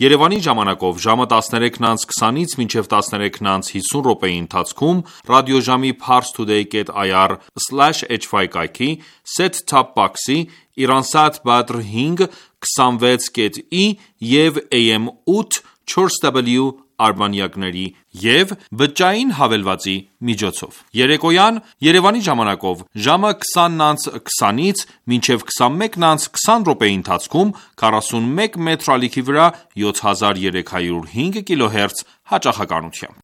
Երևանի ժամանակով ժամը 13:20-ից մինչև 13:50 րոպեի ընթացքում ռադիոժամի parstoday.ir/hy կայքի, set-top box-ի, Iransat Badr 5 26.i և AM 8 4W արբանյակների և բջջային հավելվածի միջոցով։ Երեկոյան Երևանի ժամանակով ժամը 20:20-ից մինչև 21:20 րոպեի ընթացքում 41 մետր ալիքի վրա 7305 կիլոհերց հաճախականությամբ։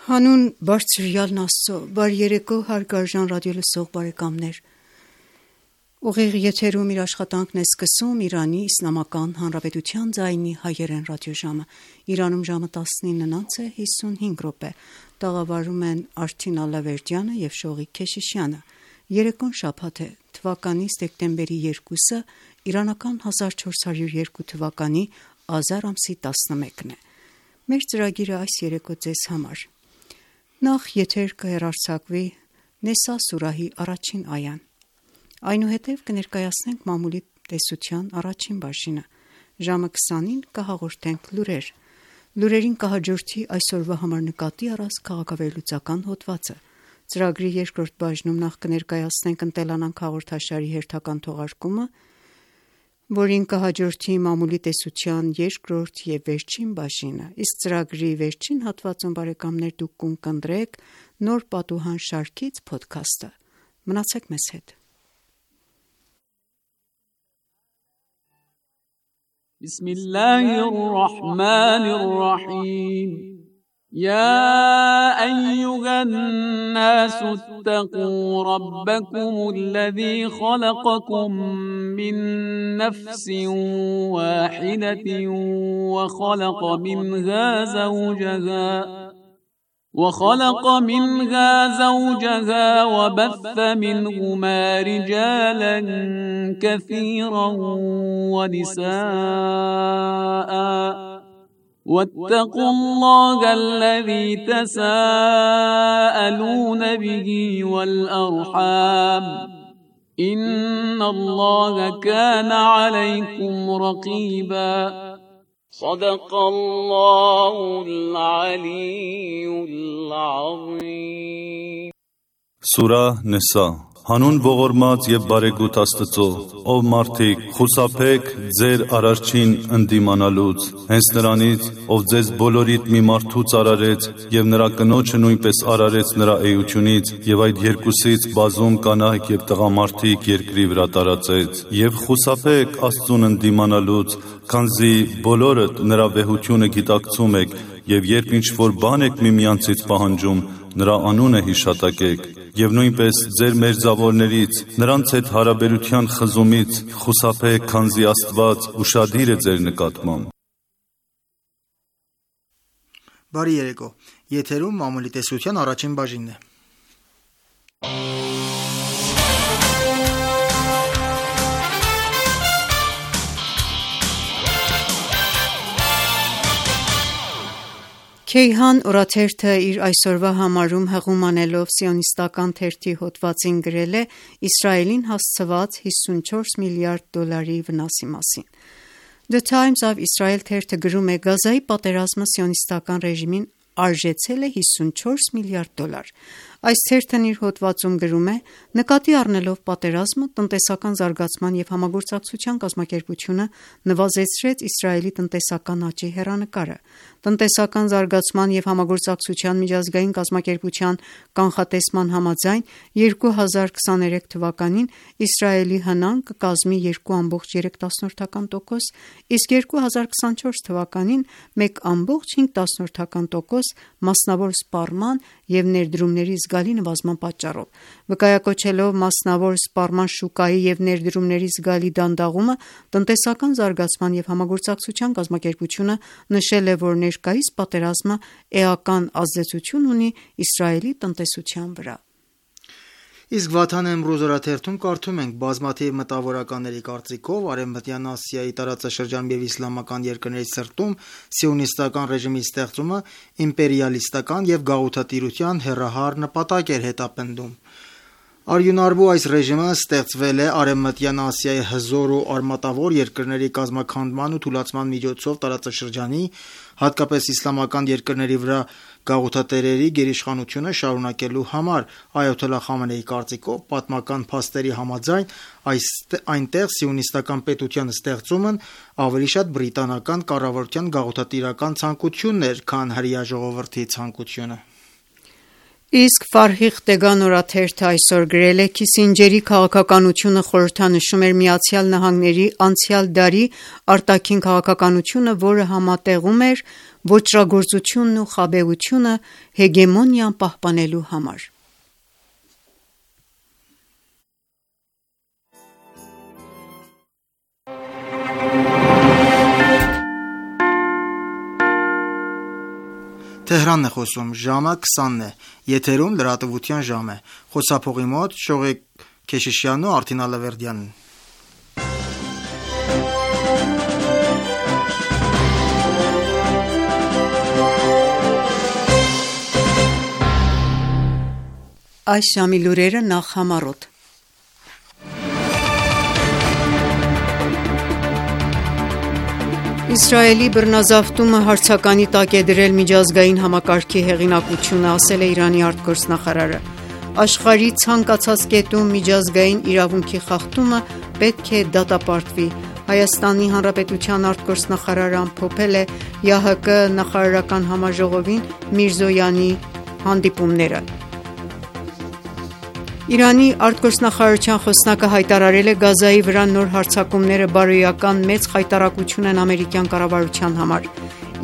Հանուն բարձրյալն Աստծո, բարի երեկո հարգարժան ռադիոլսող բարեկամներ։ Ուղիղ եթերում իր աշխատանքն է սկսում Իրանի Իսլամական Հանրապետության ձայնի հայերեն ռադիոժամը։ Իրանում ժամը 19:55 րոպե։ Տաղավարում են Արթին Ալավերդյանը եւ Շողիկ Քեշիշյանը։ Երեկոն շաբաթ է, թվականի սեպտեմբերի 2-ը, իրանական 1402 թվականի ազար ամսի 11-ն է։ Մեր ծրագիրը այս երեկո ձեզ համար։ Նախ եթեր կհեռարձակվի Նեսա սուրահի առաջին այան։ Այնուհետև կներկայացնենք մամուլի տեսության առաջին բաժինը։ Ժամը 20-ին կհաղորդենք լուրեր։ Լուրերին կհաջորդի այսօրվա համար նկատի առած քաղաքավերլուծական հոդվածը։ Ծրագրի երկրորդ բաժնում նախ կներկայացնենք ընտելանանք հաղորդաշարի հերթական թողարկումը, որին կհաջորդի մամուլի տեսության երկրորդ և վերջին բաժինը, իսկ ծրագրի վերջին հատվածում բարեկամներ դուք կընտրեք նոր պատուհան շարքից փոդքասթը։ Մնացեք մեզ հետ։ بسم الله الرحمن الرحيم يا أيها الناس اتقوا ربكم الذي خلقكم من نفس واحدة وخلق منها زوجها وبث منهما رجالا كثيرا ونساء واتقوا الله الذي تساءلون به والأرحام إن الله كان عليكم رقيبا صدق الله العلي العظيم Սուրահ Նեսա Հանուն ողորմած և բարեգութ Աստծո, ով մարդիկ, խուսափեք ձեր Արարչին ընդդիմանալուց, հենց նրանից, ով ձեզ բոլորիդ մի մարդուց արարեց և նրա կնոջը նույնպես արարեց նրա էությունից և այդ երկուսից բազում կանայք և տղամարդիկ երկրի վրա տարածեց, և խուսափեք Աստծուն ընդդիմանալուց, քանզի բոլորդ նրա վեհությունը գիտակցում եք և երբ ինչ-որ բան եք միմյանցից պահանջում, նրա անունը հիշատակեք և նույնպես ձեր մերձավորներից, նրանց հետ հարաբերության խզումից խուսափեք, քանզի Աստված ուշադիր է ձեր նկատմամբ։ Բարի երեկո, եթերում մամուլի տեսության առաջին բաժինն է։ Քեյհան օրաթերթը իր այսօրվա համարում հղում անելով սիոնիստական թերթի հոդվածին գրել է Իսրայելին հասցված $54 միլիարդ վնասի մասին։ The Times of Israel թերթը գրում է. Գազայի պատերազմը սիոնիստական ռեժիմին արժեցել է $54 միլիարդ։ Այս թերթն իր հոդվածում գրում է. նկատի առնելով պատերազմը, տնտեսական զարգացման և համագործակցության կազմակերպությունը նվազեցրեց Իսրայելի տնտեսական աճի հեռանկարը։ Տնտեսական զարգացման և համագործակցության միջազգային կազմակերպության կանխատեսման համաձայն 2023 թվականին Իսրայելի հնան կկազմի 2.3%, իսկ 2024 թվականին 1.5%, մասնավոր սպառման և ներդրումների զգալի նվազման պատճառով։ Վկայակոչելով մասնավոր սպառման շուկայի և ներդրումների զգալի դանդաղումը, տնտեսական զարգացման և համագործակցության կազմակերպությունը նշել է, որ ներկայիս պատերազմը էական ազդեցություն ունի Իսրայելի տնտեսության վրա։ Իսկ Վաթան Էմրուզ օրաթերթում կարդում ենք. բազմաթիվ մտավորականների կարծիքով Արևմտյան Ասիայի տարածաշրջանում և իսլամական երկրների սրտում սիոնիստական ռեժիմի ստեղծումը իմպերիալիստական և գաղութատիրության հեռահար նպատակ էր հետապնդում։ Արյունարբու այս ռեժիմը ստեղծվել է Արևմտյան Ասիայի հզոր ու արմատավոր երկրների կազմաքանդման ու թուլացման միջոցով տարածաշրջանի, հատկապես իսլամական երկրների վրա գաղութատերերի գերիշխանությունը շարունակելու համար։ Այաթոլլահ Խամենեիի կարծիքով, պատմական փաստերի համաձայն այնտեղ սիոնիստական պետության ստեղծումն ավելի շատ բրիտանական կառավարության գաղութատիրական ցանկությունն էր, քան հրեա ժողովրդի ցանկությունը։ Իսկ Ֆարհիղ Դեգան օրաթերթը այսօր գրել է. Քիսինջերի քաղաքականությունը խորհրդանշում էր ԱՄՆ-ի անցյալ դարի արտաքին քաղաքականությունը, որը համատեղում էր ոճրագործությունն ու խաբեությունը հեգեմոնիան պահպանելու համար։ Թեհրանն է խոսում, ժամը 20-ն է, եթերում լրատվության ժամ է, խոսափողի մոտ Շողիկ Քեշիշյանն ու Արթին Ալավերդյանն։ Այս ժամի լուրերը նախ համառոտ։ Իսրայելի բռնազավթումը հարցականի տակ է դրել միջազգային համակարգի հեղինակությունը, ասել է Իրանի արտգործնախարարը։ Աշխարհի ցանկացած կետում միջազգային իրավունքի խախտումը պետք է դատապարտվի։ Հայաստանի Հանրապետության արտգործնախարարը ամփոփել է ՀՀԿ նախարարական համաժողովին Միրզոյանի հանդիպումները։ Իրանի արտգործնախարարության խոսնակը հայտարարել է Գազայի վրա նոր հարձակումները բարոյական մեծ խայտառակություն են ամերիկյան կառավարության համար։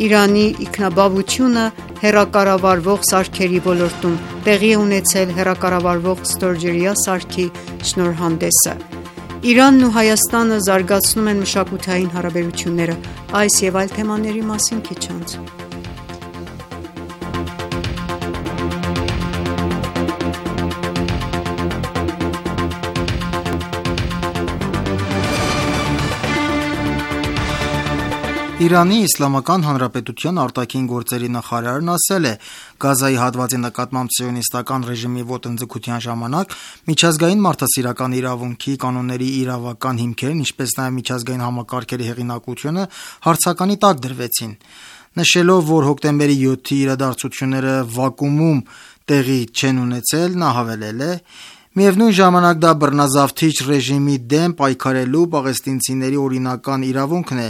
Իրանի ինքնաբավությունը հեռակառավարվող սարքերի ոլորտում տեղի է ունեցել հեռակառավարվող ստորջրյա սարքի շնորհանդեսը։ Իրանն ու Հայաստանը զարգացնում են մշակութային հարաբերությունները։ Այս եւ այլ թեմաների մասին քիչ անց։ Իրանի Իսլամական Հանրապետության արտաքին գործերի նախարարն ասել է. Գազայի հատվածի նկատմամբ սիոնիստական ռեժիմի ոտնձգության ժամանակ միջազգային մարդասիրական իրավունքի կանոնների իրավական հիմքերն, ինչպես նաև միջազգային համակարգերի հեղինակությունը հարցականի տակ դրվեցին։ Նշելով, որ հոկտեմբերի 7-ի իրադարձությունները վակուումում տեղի չեն ունեցել, նա հավելել է. Միևնույն ժամանակ դա բռնազավթիչ ռեժիմի դեմ պայքարելու պաղեստինցիների օրինական իրավունքն է,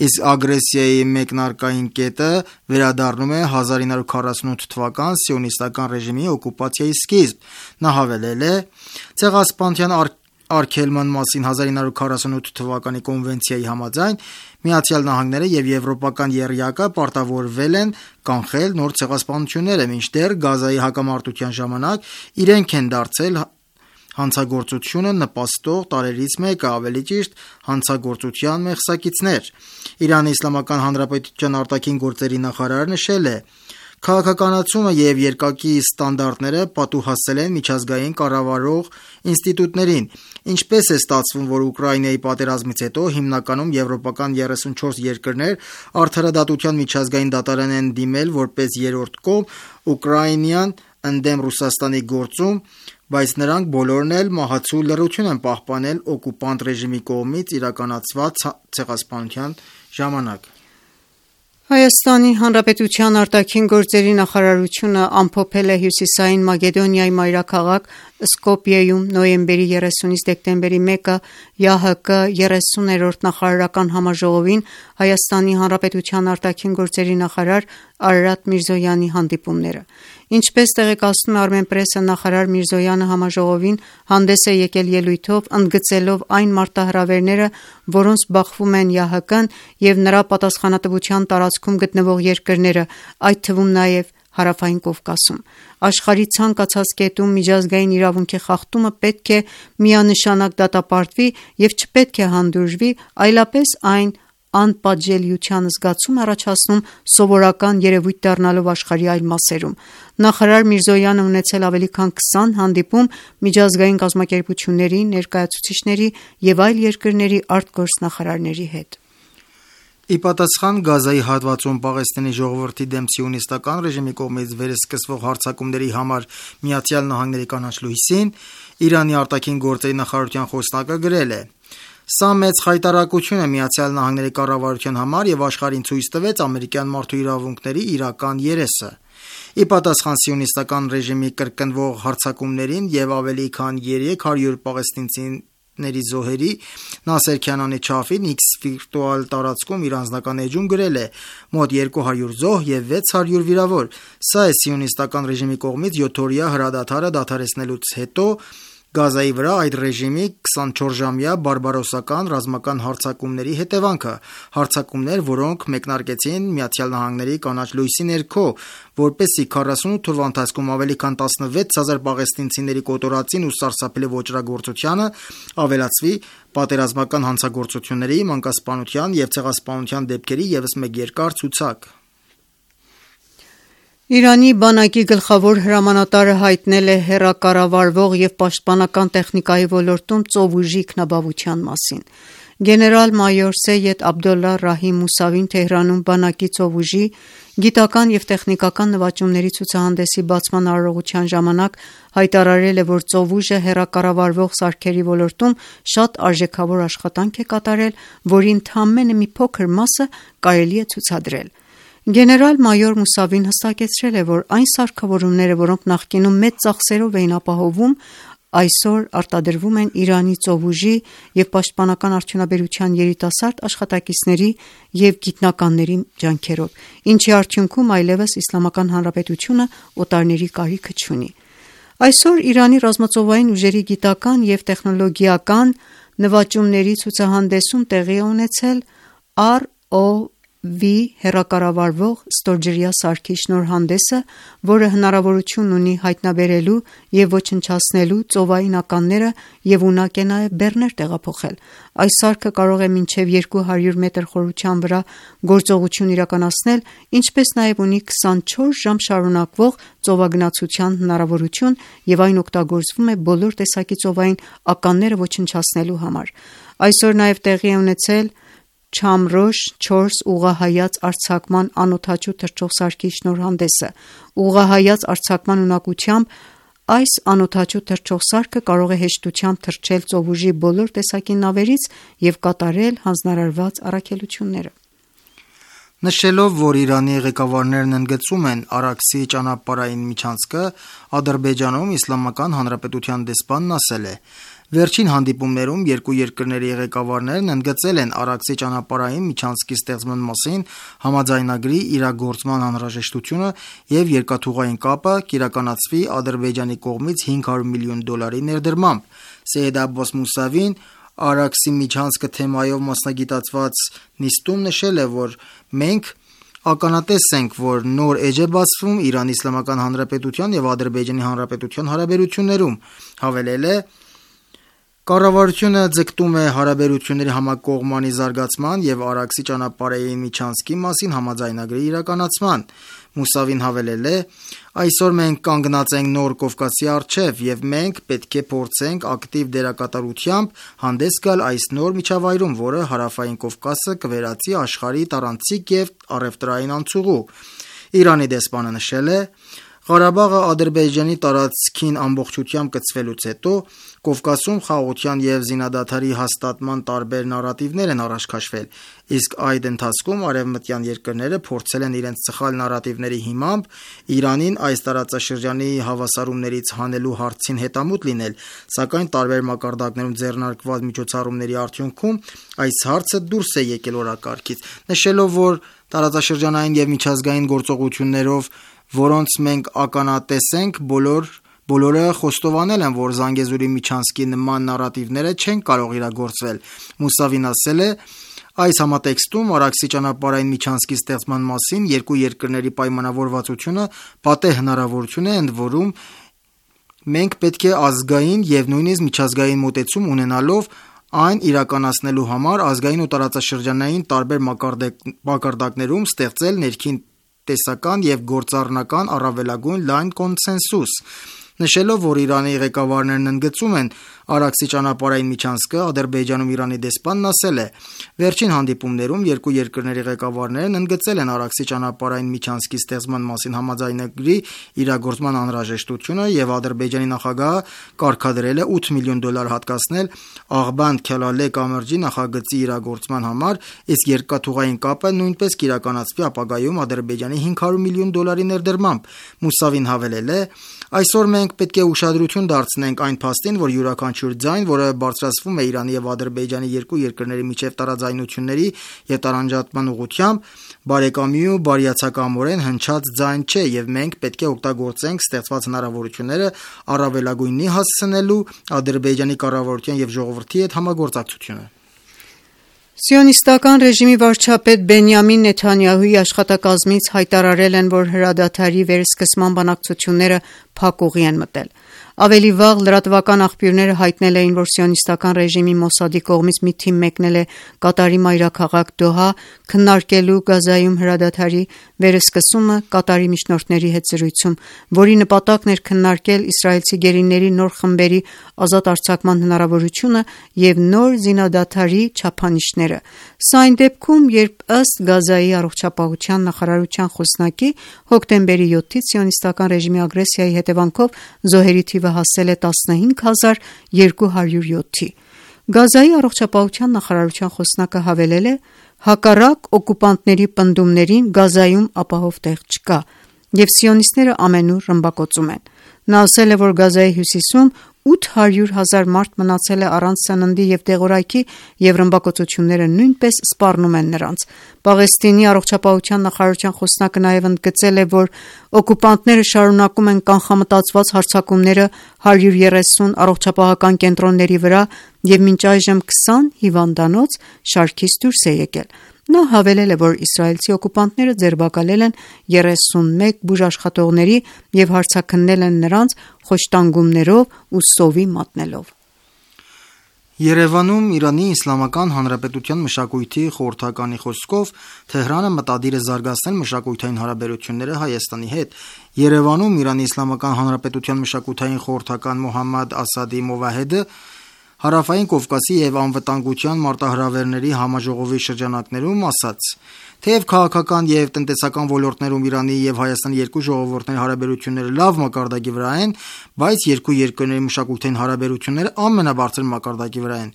իսկ ագրեսիայի մեկնարկային կետը վերադառնում է 1948 թվական սիոնիստական ռեժիմի օկուպացիայի սկիզբ։ Նա հավելել է. Ցեղասպանության արգելման մասին 1948 թվականի կոնվենցիայի համաձայն ԱՄՆ-ը եւ եվրոպական եռյակը պարտավորվել են կանխել նոր ցեղասպանությունները, մինչդեռ Գազայի հակամարտության ժամանակ իրենք են դարձել հանցագործությունը նպաստող տարրերից մեկը, ավելի ճիշտ հանցագործության մեղսակիցներ։ Իրանի Իսլամական Հանրապետության արտաքին գործերի նախարարը նշել է. Քաղաքականացումը եւ երկակի ստանդարտները պատուհասել են միջազգային կառավարող ինստիտուտներին։ Ինչպես է ստացվում, որ Ուկրաինայի պատերազմից հետո հիմնականում եվրոպական 34 երկրներ արդարադատության միջազգային դատարան են դիմել որպես երրորդ կողմ Ուկրաինյան ընդդեմ Ռուսաստանի գործում, բայց նրանք բոլորն էլ մահացու լռություն են պահպանել օկուպանտ ռեժիմի կողմից իրականացված ցեղասպանության ժամանակ։ Հայաստանի Հանրապետության արտաքին գործերի նախարարությունը ամփոփել է Հյուսիսային Մակեդոնիայի մայրաքաղաք Սկոպիեում նոյեմբերի 30-ից դեկտեմբերի 1-ը ՀՀԿ 30-րդ նախարարական համաժողովին Հայաստանի Հանրապետության արտաքին գործերի նախարար Արարատ Միրզոյանի հանդիպումները։ Ինչպես տեղեկացնում է Armenpress-ը, նախարար Միրզոյանը համաժողովին հանդես է եկել ելույթով, ընդգծելով այն մարտահրավերները, որոնց բախվում են ՀՀԿ-ն եւ նրա պատասխանատվության տարածքում գտնվող երկրները, այդ թվում նաեւ Հարավային Կովկասում։ Աշխարհի ցանկացած կետում միջազգային իրավունքի խախտումը պետք է միանշանակ դատապարտվի եւ չպետք է հանդուրժվի, այլապես այն անպատժելիության զգացում առաջացնում սովորական երևույթ դառնալով աշխարհի այլ մասերում։ Նախարար Միրզոյանը ունեցել ավելի քան 20 հանդիպում միջազգային կազմակերպությունների, ներկայացուցիչների եւ այլ երկրների արտգործնախարարների հետ։ Ի պատասխան Գազայի հատվածում Պաղեստինի ժողովրդի դեմ սիոնիստական ռեժիմի կողմից վերսկսվող հարձակումների համար ԱՄՆ-ի կանաչ լույսին, Իրանի արտաքին գործերի նախարարության խոսնակը գրել է. «Սա մեծ խայտառակություն է ԱՄՆ կառավարության համար եւ աշխարհին ցույց տվեց ամերիկյան մարդու իրավունքների իրական երեսը»։ Ի պատասխան սիոնիստական ռեժիմի կրկնվող հարձակումներին եւ ավելի քան 300 պաղեստինցիների զոհերի, Նասեր Քանանի Չաֆին X վիրտուալ տարածքում իր անձնական էջում գրել է. «Մոտ 200 զոհ եւ 600 վիրավոր։ Սա է սիոնիստական ռեժիմի կողմից 7-օրյա հրադադարը դադարեցնելուց հետո Գազայի վրա այդ ռեժիմի 24-ժամյա բարբարոսական ռազմական հարձակումների հետևանքը, հարձակումներ, որոնք մեկնարկեցին ԱՄՆ կանաչ լույսի ներքո, որպեսզի 48 օրվա ընթացքում ավելի քան 16000 պաղեստինցիների կոտորածին ու սարսափելի ոճրագործությանը ավելացվի պատերազմական հանցագործությունների, մանկասպանության եւ ցեղասպանության դեպքերի ևս մեկ երկար ցուցակ»։ Իրանի բանակի գլխավոր հրամանատարը հայտնել է հեռակառավարվող եւ պաշտպանական տեխնիկայի ոլորտում ծովուժի ինքնաբավության մասին։ Գեներալ-մայոր Սեյեդ Աբդոլլա Ռահիմ Մուսավին Թեհրանում բանակի ծովուժի գիտական եւ տեխնիկական նվաճումների ցուցահանդեսի բացման արարողության ժամանակ հայտարարել է, որ ծովուժը հեռակառավարվող սարքերի ոլորտում շատ արժեքավոր աշխատանք է կատարել, որի ընդամենը մի փոքր մասը կարելի է ցուցադրել։ Գեներալ-մայոր Մուսավին հստակեցրել է, որ այն սարքավորումները, որոնք նախկինում մեծ ծախսերով էին ապահովում, այսօր արտադրվում են Իրանի ծովուժի եւ պաշտպանական արդյունաբերության երիտասարդ աշխատակիցների եւ գիտնականների ջանքերով, ինչի արդյունքում այլևս Իսլամական Հանրապետությունը օտարների կարիքը չունի։ Այսօր Իրանի ռազմածովային ուժերի գիտական եւ տեխնոլոգիական նվաճումների ցուցահանդեսում տեղի է ունեցել ROV հեռակառավարվող ստորջրյա սարքի շնորհանդեսը, որը հնարավորություն ունի հայտնաբերելու եւ ոչնչացնելու ծովային ականները եւ ունակ է նաեւ բեռներ տեղափոխել։ Այս սարքը կարող է մինչեւ 200 մետր խորության վրա գործողություն իրականացնել, ինչպես նաեւ ունի 24 ժամ շարունակվող ծովագնացության հնարավորություն եւ այն օգտագործվում է բոլոր տեսակի ծովային ականները ոչնչացնելու համար։ Այսօր նաեւ տեղի է ունեցել Չամրոշ 4 ուղղահայաց արձակման անօդաչու թռչող սարքի շնորհանդեսը։ Ուղղահայաց արձակման ունակությամբ այս անօդաչու թռչող սարքը կարող է հեշտությամբ թռչել ծովուժի բոլոր տեսակի նավերից եւ կատարել հանձնարարված առաքելությունները։ Նշելով, որ Իրանի ղեկավարներն ընդգծում են Արաքսի ճանապարհային միջանցքը, Ադրբեջանում Իսլամական Հանրապետության դեսպանն ասել է. «Վերջին հանդիպումներում երկու երկրների ղեկավարներն ընդգծել են Արաքսի ճանապարհային միջանցքի ստեղծման մասին համաձայնագրի իրագործման անհրաժեշտությունը եւ երկաթուղային կապը կիրականացվի Ադրբեջանի կողմից $500 միլիոն ներդրմամբ»։ Սեյեդ Աբբաս Մուսավին Արաքսի միջանցքը թեմայով մասնագիտացված նիստում նշել է, որ մենք ականատես ենք, որ նոր էջ է բացվում Իրանի Իսլամական Հանրապետության եւ Ադրբեջանի Հանրապետության հարաբերություններում։ Հավելել է. «Կառավարությունը ձգտում է հարաբերությունների համակողմանի զարգացման եւ Արաքսի ճանապարհային միջանցքի մասին համաձայնագրի իրականացման»։ Մուսավին հավելել է. «Այսօր մենք կանգնած ենք նոր Կովկասի առջև եւ մենք պետք է փորձենք ակտիվ դերակատարությամբ հանդես գալ այս նոր միջավայրում, որը Հարավային Կովկասը կվերածի աշխարհի տարանցիկ եւ առևտրային անցուղու»։ Իրանի դեսպանը նշել է. «Ղարաբաղը Ադրբեջանի տարածքին ամբողջությամբ կցվելուց հետո Կովկասում խաղաղության եւ զինադադարի հաստատման տարբեր նարատիվներ են առաջ քաշվել, իսկ այդ ընթացքում արևմտյան երկրները փորձել են իրենց սխալ նարատիվների հիմամբ Իրանին այս տարածաշրջանի հավասարումներից հանելու հարցին հետամուտ լինել, սակայն տարբեր մակարդակներում ձեռնարկված միջոցառումների արդյունքում այս հարցը դուրս է եկել օրակարգից»։ Նշելով, որ տարածաշրջանային եւ միջազգային գործողություններով, որոնց մենք ականատես ենք, բոլորը խոստովանել են, որ Զանգեզուրի միջանցքի նման նարատիվները չեն կարող իրագործվել։ Մուսավին ասել է. «Այս համատեքստում Արաքսի ճանապարհային միջանցքի ստեղծման մասին երկու երկրների պայմանավորվածությունը պատեհ հնարավորություն է, ընդ որում մենք պետք է ազգային եւ նույնիսկ միջազգային մոտեցում ունենալով այն իրականացնելու համար ազգային ու տարածաշրջանային տարբեր մակարդակներում ստեղծել ներքին տեսական եւ գործառնական առավելագույն լայն կոնսենսուս»։ Նշելով, որ Իրանի ղեկավարներն ընդգծում են Արաքսի ճանապարհային միջանցքը, Ադրբեջանում Իրանի դեսպանն ասել է. «Վերջին հանդիպումներում երկու երկրների ղեկավարներն ընդգծել են Արաքսի ճանապարհային միջանցքի ստեղծման մասին համաձայնագրի իրագործման անհրաժեշտությունը եւ Ադրբեջանի նախագահը կարգադրել է $8 միլիոն հատկացնել Աղբանդ-Քելալե կամրջի նախագծի իրագործման համար, իսկ երկաթուղային կապը նույնպես կիրականացվի ապագայում Ադրբեջանի $500 միլիոն ներդրմամբ»։ Մուսավին հավելել է. «Այսօր մենք պետք է ուշադրություն դարձնենք այն փաստին, որ յուրաքանչյուր ձայն, որը բարձրացվում է Իրանի եւ Ադրբեջանի երկու երկրների միջև տարաձայնությունների եւ տարանջատման ուղղությամբ, բարեկամի ու բարիացակամորեն հնչած ձայն չէ եւ մենք պետք է օգտագործենք ստեղծված հնարավորությունները առավելագույնի հասցնելու Ադրբեջանի կառավարության եւ ժողովրդի հետ համագործակցությունը»։ Սիոնիստական ռեժիմի վարչապետ Բենյամին Նեթանյահուի աշխատակազմից հայտարարել են, որ հրադադարի վերսկսման բանակցությունները փակ ուղի են մտել։ Ավելի վաղ լրատվական աղբյուրները հայտնել էին, որ Սիոնիստական ռեժիմի Մոսադի կողմից մի թիմ մեկնել է Կատարի մայրաքաղաք Դոհա քննարկելու Գազայում հրադադարի վերսկսումը Կատարի միջնորդների հետ զրույցում, որի նպատակն էր քննարկել իսրայելցի գերիների նոր խմբերի ազատ արձակման հնարավորությունը եւ նոր զինադադարի չափանիշները։ Սա այն դեպքում, երբ ըստ Գազայի առողջապահության նախարարության խոսնակի հոկտեմբերի 7-ից Սիոնիստական ռեժիմի ագրեսիայի հետևանքով զոհերի թիվը հասել է 15207-ի։ Գազայի առողջապահության նախարարության խոսնակը հավելել է. «Հակառակ օկուպանտների պնդումներին Գազայում ապահով տեղ չկա, եւ սիոնիստները ամենուր ռմբակոծում են»։ Նա ասել է, որ Գազայի հյուսիսում 800,000 մարդ մնացել է առանց սննդի եւ դեղորայքի եւ ռմբակոծությունները նույնպես սպառնում են նրանց։ Պաղեստինի առողջապահության նախարարության խոսնակը նաեւ ընդգծել է, որ օկուպանտները շարունակում են կանխամտածված հարձակումները 130 առողջապահական կենտրոնների վրա եւ մինչ այժմ 20 հիվանդանոց շարքից դուրս է եկել։ Նա հավելել է, որ իսրայելցի օկուպանտները ձերբակալել են 31 բուժաշխատողների եւ հարձակնել են նրանց խոշտանգումներով ու սովի մատնելով։ Երևանում Իրանի Իսլամական Հանրապետության մշակույթի խորհրդականի խոսքով Թեհրանը մտադիր է զարգացնել մշակութային հարաբերությունները Հայաստանի հետ։ Երևանում Իրանի Իսլամական Հանրապետության մշակութային խորհրդական Մոհամմադ Ասադի Մովահեդը Հարավային Կովկասի եւ անվտանգության մարտահրավերների համաժողովի շրջանակներում ասաց. «Թեև քաղաքական եւ տնտեսական ոլորտներում Իրանի եւ Հայաստանի երկու ժողովուրդների հարաբերությունները լավ մակարդակի վրա են, բայց երկու երկրների մշակութային հարաբերությունները ամենաբարձր մակարդակի վրա են»։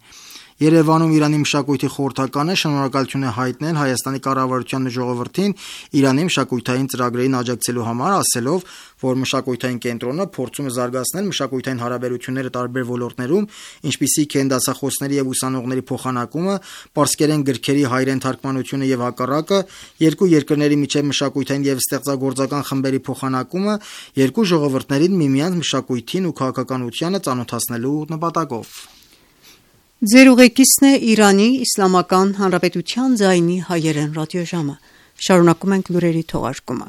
Երևանում Իրանի մշակույթի խորհրդականը շնորհակալություն է հայտնել Հայաստանի կառավարությանն ու ժողովրդին Իրանի մշակութային ծրագրերին աջակցելու համար, ասելով, որ մշակութային կենտրոնը փորձում է զարգացնել մշակութային հարաբերությունները տարբեր ոլորտներում, ինչպիսիք են դասախոսների եւ ուսանողների փոխանակումը, պարսկերեն գրքերի հայերեն թարգմանությունը եւ հակառակը, երկու երկրների միջև մշակութային եւ ստեղծագործական խմբերի փոխանակումը, երկու ժողովուրդներին միմյանց մշակույթին ու քաղաքականությանը ծանոթացնելու նպատակով։ Ձեր ուղեկիցն է Իրանի Իսլամական Հանրապետության ձայնի հայերեն ռադիոժամը։ Շարունակում ենք լուրերի թողարկումը։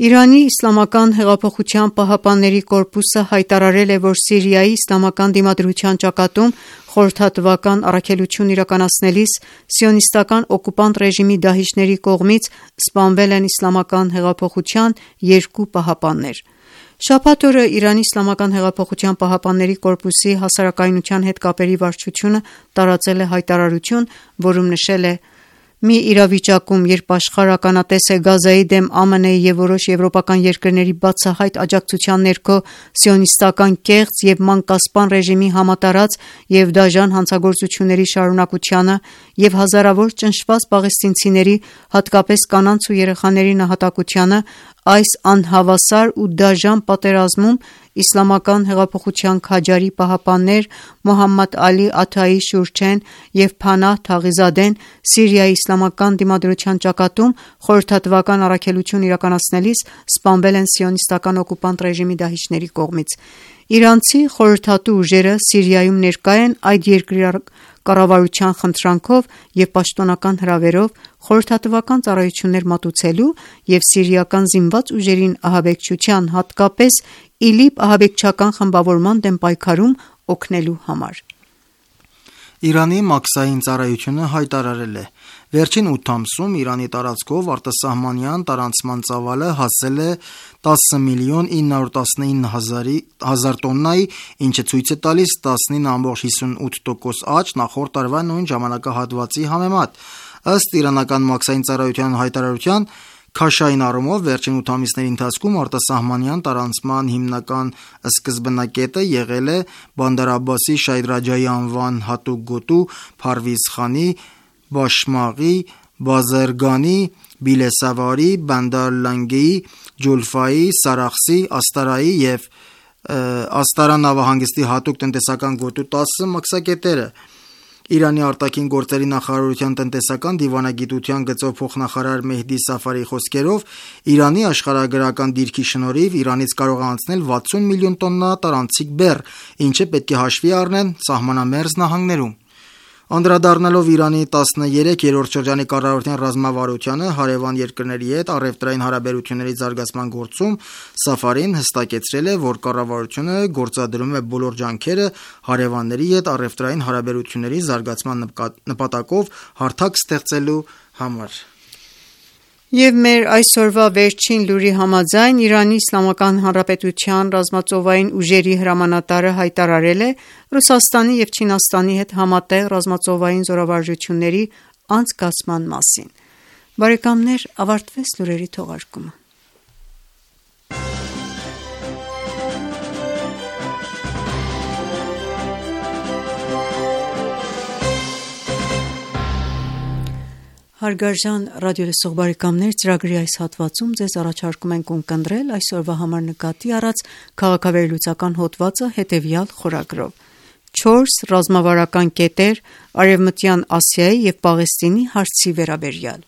Իրանի Իսլամական հեղափոխության պահապանների կորպուսը հայտարարել է, որ Սիրիայի իսլամական դիմադրության ճակատում խորհրդատվական առաքելություն իրականացնելիս սիոնիստական օկուպանտ ռեժիմի դահիճների կողմից սպանվել են իսլամական հեղափոխության երկու պահապաններ։ Շաբաթ օրը Իրանի Իսլամական հեղափոխության պահապանների կորպուսի հասարակայնության հետ կապերի վարչությունը տարածել է հայտարարություն, որում նշել է. «Մի իրավիճակում, երբ աշխարհը ականատես է Գազայի դեմ ԱՄՆ-ի եւ որոշ եվրոպական երկրների բացահայտ աջակցության ներքո սիոնիստական կեղծ եւ մանկասպան ռեժիմի համատարած եւ դաժան հանցագործությունների շարունակությանը եւ հազարավոր ճնշված պաղեստինցիների, հատկապես կանանց ու երեխաների նահատակությանը, այս անհավասար ու դաժան պատերազմում Իսլամական հեղափոխության քաջարի պահապաններ Մոհամմադ Ալի Աթայի Շուրչեն եւ Փանահ Թաղիզադեն Սիրիայի իսլամական դիմադրության ճակատում խորհրդատվական առաքելություն իրականացնելիս սպանվել են սիոնիստական օկուպանտ ռեժիմի դահիճների կողմից։ Իրանցի խորհրդատու ուժերը Սիրիայում ներկա են այդ երկրի կառավարության խնդրանքով եւ պաշտոնական հրավերով խորհրդատվական ծառայություններ մատուցելու եւ սիրիական զինված ուժերին ահաբեկչության, հատկապես ԻԼԻՊ ահաբեկչական խմբավորման դեմ պայքարում օգնելու համար։ Իրանի մաքսային ծառայությունը հայտարարել է. վերջին 8 ամսում Իրանի տարածքով արտասահմանյան տարանցման ծավալը հասել է 10.919.000 տոննայի, ինչը ցույց է տալիս 19.58% աճ նախորդ տարվա նույն ժամանակահատվածի համեմատ։ Ըստ իրանական մաքսային ծառայության հայտարարության, քաշային առումով վերջին 8 ամիսների ընթացքում արտասահմանյան տարանցման հիմնական սկզբնակետը եղել է Բանդար Աբբասի Շահիդ Ռաջայի անվան հատուկ գոտու, Փարվիզ Խանի, Բաշմաղի, Բազերգանի, Բիլեսավարի, Բանդար Լանգեի, Ջուլֆայի, Սարախսի, Աստարայի և Աստարա նավահանգստի հատուկ տնտեսական գոտու 10 մաքսակետերը։ Իրանի արտաքին գործերի նախարարության տնտեսական դիվանագիտության գծով փոխնախարար Մեհդի Սաֆարիի խոսքերով, Իրանի աշխարհագրական դիրքի շնորհիվ Իրանից կարող է անցնել 60 միլիոն տոննա տարանցիկ բեռ, ինչը պետք է հաշվի առնեն սահմանամերձ նահանգներում։ Անդրադառնալով Իրանի 13-րդ շրջանի կառավարության ռազմավարությանը հարևան երկրների հետ առևտրային հարաբերությունների զարգացման գործում, Սաֆարին հստակեցրել է, որ կառավարությունը գործադրում է բոլոր ջանքերը հարևանների հետ առևտրային հարաբերությունների զարգացման նպատակով հարթակ ստեղծելու համար։ Եվ մեր այսօրվա վերջին լուրի համաձայն Իրանի Իսլամական Հանրապետության ռազմածովային ուժերի հրամանատարը հայտարարել է Ռուսաստանի և Չինաստանի հետ համատեղ ռազմածովային զորավարժությունների անցկացման մասին։ Բարեկամներ, ավարտվեց լուրերի թողարկումը։ Հարգարժան ռադիոլսող բարեկամներ, ծրագրի այս հատվածում ձեզ առաջարկում ենք ունկնդրել այսօրվա համար նկատի առած քաղաքավերլուծական հոդվածը հետևյալ խորագրով. 4 ռազմավարական կետեր Արևմտյան Ասիայի և Պաղեստինի հարցի վերաբերյալ։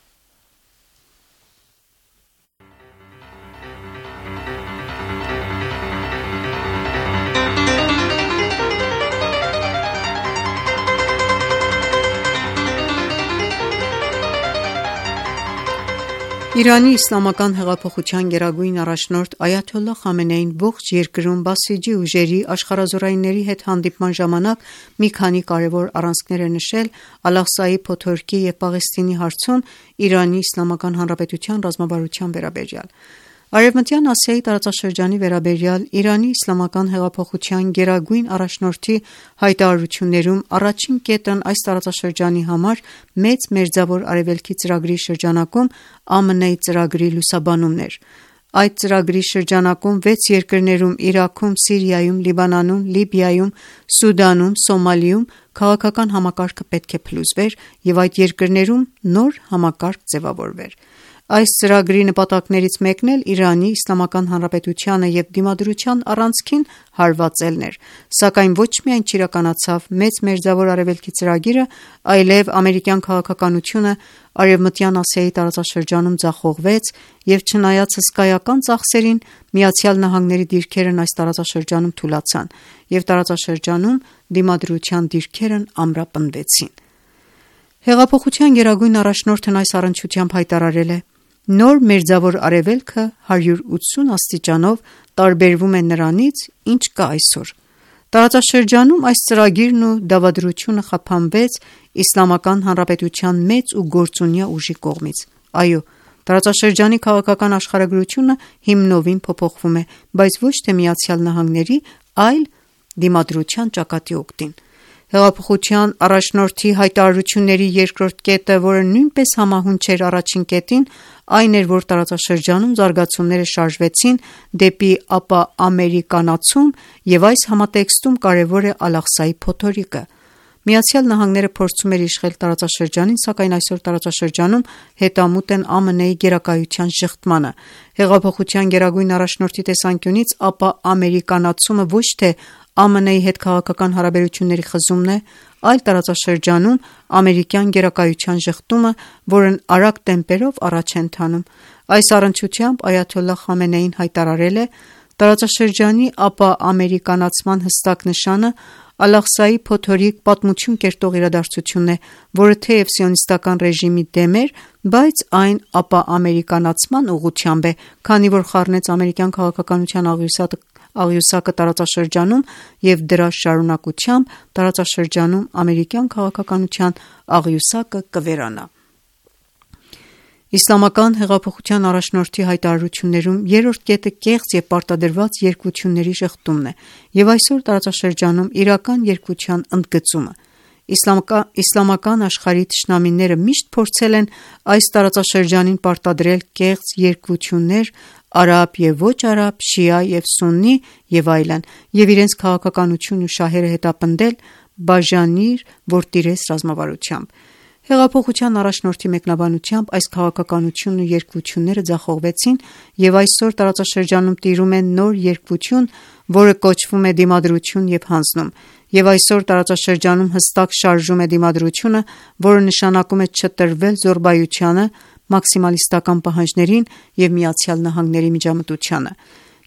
Իրանի իսլամական հեղափոխության գերագույն առաջնորդ Այաթոլլահ Խամենեին ողջ երկրում բասիջի ուժերի աշխարհազորայինների հետ հանդիպման ժամանակ մի քանի կարևոր առանցքներ է նշել Ալ-Աղսայի փոթորկի և Պաղեստինի հարցում Իրանի Իսլամական Հանրապետության ռազմավարության վերաբերյալ։ Արևմտյան Ասիայի տարածաշրջանի վերաբերյալ Իրանի Իսլամական հեղափոխության գերագույն առաջնորդի հայտարարություններում առաջին կետն այս տարածաշրջանի համար մեծ մերձավոր արևելքի ծրագրի շրջանակում ԱՄՆ-ի ծրագրի լուսաբանումն էր։ Այդ ծրագրի շրջանակում 6 երկրներում Իրաքում, Սիրիայում, Լիբանանում, Լիբիայում, Սուդանում, Սոմալիում քաղաքական համակարգը պետք է փլուզվեր և այդ երկրներում նոր համակարգ ձևավորվեր։ Այս ծրագրի նպատակներից մեկն էլ Իրանի Իսլամական Հանրապետությանը և դիմադրության առանցքին հարվածելն էր, սակայն ոչ միայն չիրականացավ մեծ մերձավոր արևելքի ծրագիրը, այլև ամերիկյան քաղաքականությունը Արևմտյան Ասիայի տարածաշրջանում ձախողվեց և չնայած հսկայական ծախսերին, ԱՄՆ-ի դիրքերն այս տարածաշրջանում թուլացան և տարածաշրջանում դիմադրության դիրքերն ամրապնդվեցին։ Հեղափոխության գերագույն առաջնորդն այս առնչությամբ հայտարարել է. «Նոր մերձավոր արևելքը 180 աստիճանով տարբերվում է նրանից, ինչ կա այսօր»։ Տարածաշրջանում այս ծրագիրն ու դավադրությունը խափանվեց Իսլամական Հանրապետության մեծ ու գործունյա ուժի կողմից։ Այո, տարածաշրջանի քաղաքական աշխարհագրությունը հիմնովին փոփոխվում է, բայց ոչ թե ԱՄՆ-ի, այլ դիմադրության ճակատի օգտին։ Հեղափոխության առաջնորդի հայտարարությունների երկրորդ կետը, որը նույնպես համահունչ էր առաջին կետին, այն էր, որ տարածաշրջանում զարգացումները շարժվեցին դեպի ապաամերիկանացում և այս համատեքստում կարևոր է Ալ-Աղսայի փոթորիկը։ ԱՄՆ-ը փորձում էր իշխել տարածաշրջանին, սակայն այսօր տարածաշրջանում հետամուտ են ԱՄՆ-ի գերակայության ժխտմանը։ Հեղափոխության գերագույն առաջնորդի տեսանկյունից ապաամերիկանացումը ոչ թե ԱՄՆ-ի հետ քաղաքական հարաբերությունների խզումն է, այլ տարածաշրջանում ամերիկյան գերակայության ժխտումը, որն արագ տեմպերով առաջ է ընթանում։ Այս առնչությամբ Այաթոլլահ Խամենեին հայտարարել է. «Տարածաշրջանի ապաամերիկանացման հստակ նշանը Ալ-Աղսայի փոթորիկ պատմություն կերտող իրադարձությունն է, որը թեև սիոնիստական ռեժիմի դեմ էր, բայց այն ապաամերիկանացման ուղղությամբ է, քանի որ խառնեց ամերիկյան քաղաքականության աղյուսակը տարածաշրջանում և դրա շարունակությամբ տարածաշրջանում ամերիկյան քաղաքականության աղյուսակը կվերանա։ Իսլամական հեղափոխության առաջնորդի հայտարարություններում երրորդ կետը կեղծ և պարտադրված երկվությունների շղթումն է և այսօր տարածաշրջանում իրական երկվության ընդգծումը։ Իսլամական աշխարհի թշնամիները միշտ փորձել են այս տարածաշրջանին պարտադրել կեղծ երկվություններ արաբ և ոչ արաբ, շիա և սուննի և այլն, և իրենց քաղաքականությունն ու շահերը հետապնդել «բաժանիր, որ տիրես» ռազմավարությամբ։ Հեղափոխության առաջնորդի մեկնաբանությամբ այս քաղաքականությունն ու երկվությունները ձախողվեցին և այսօր տարածաշրջանում տիրում է նոր երկվություն, որը կոչվում է դիմադրություն և հանձնում, և այսօր տարածաշրջանում հստակ շարժում է դիմադրությունը, որը նշանակում է չտրվել զոռբայությանը, մաքսիմալիստական պահանջներին և ԱՄՆ-ի միջամտությանը։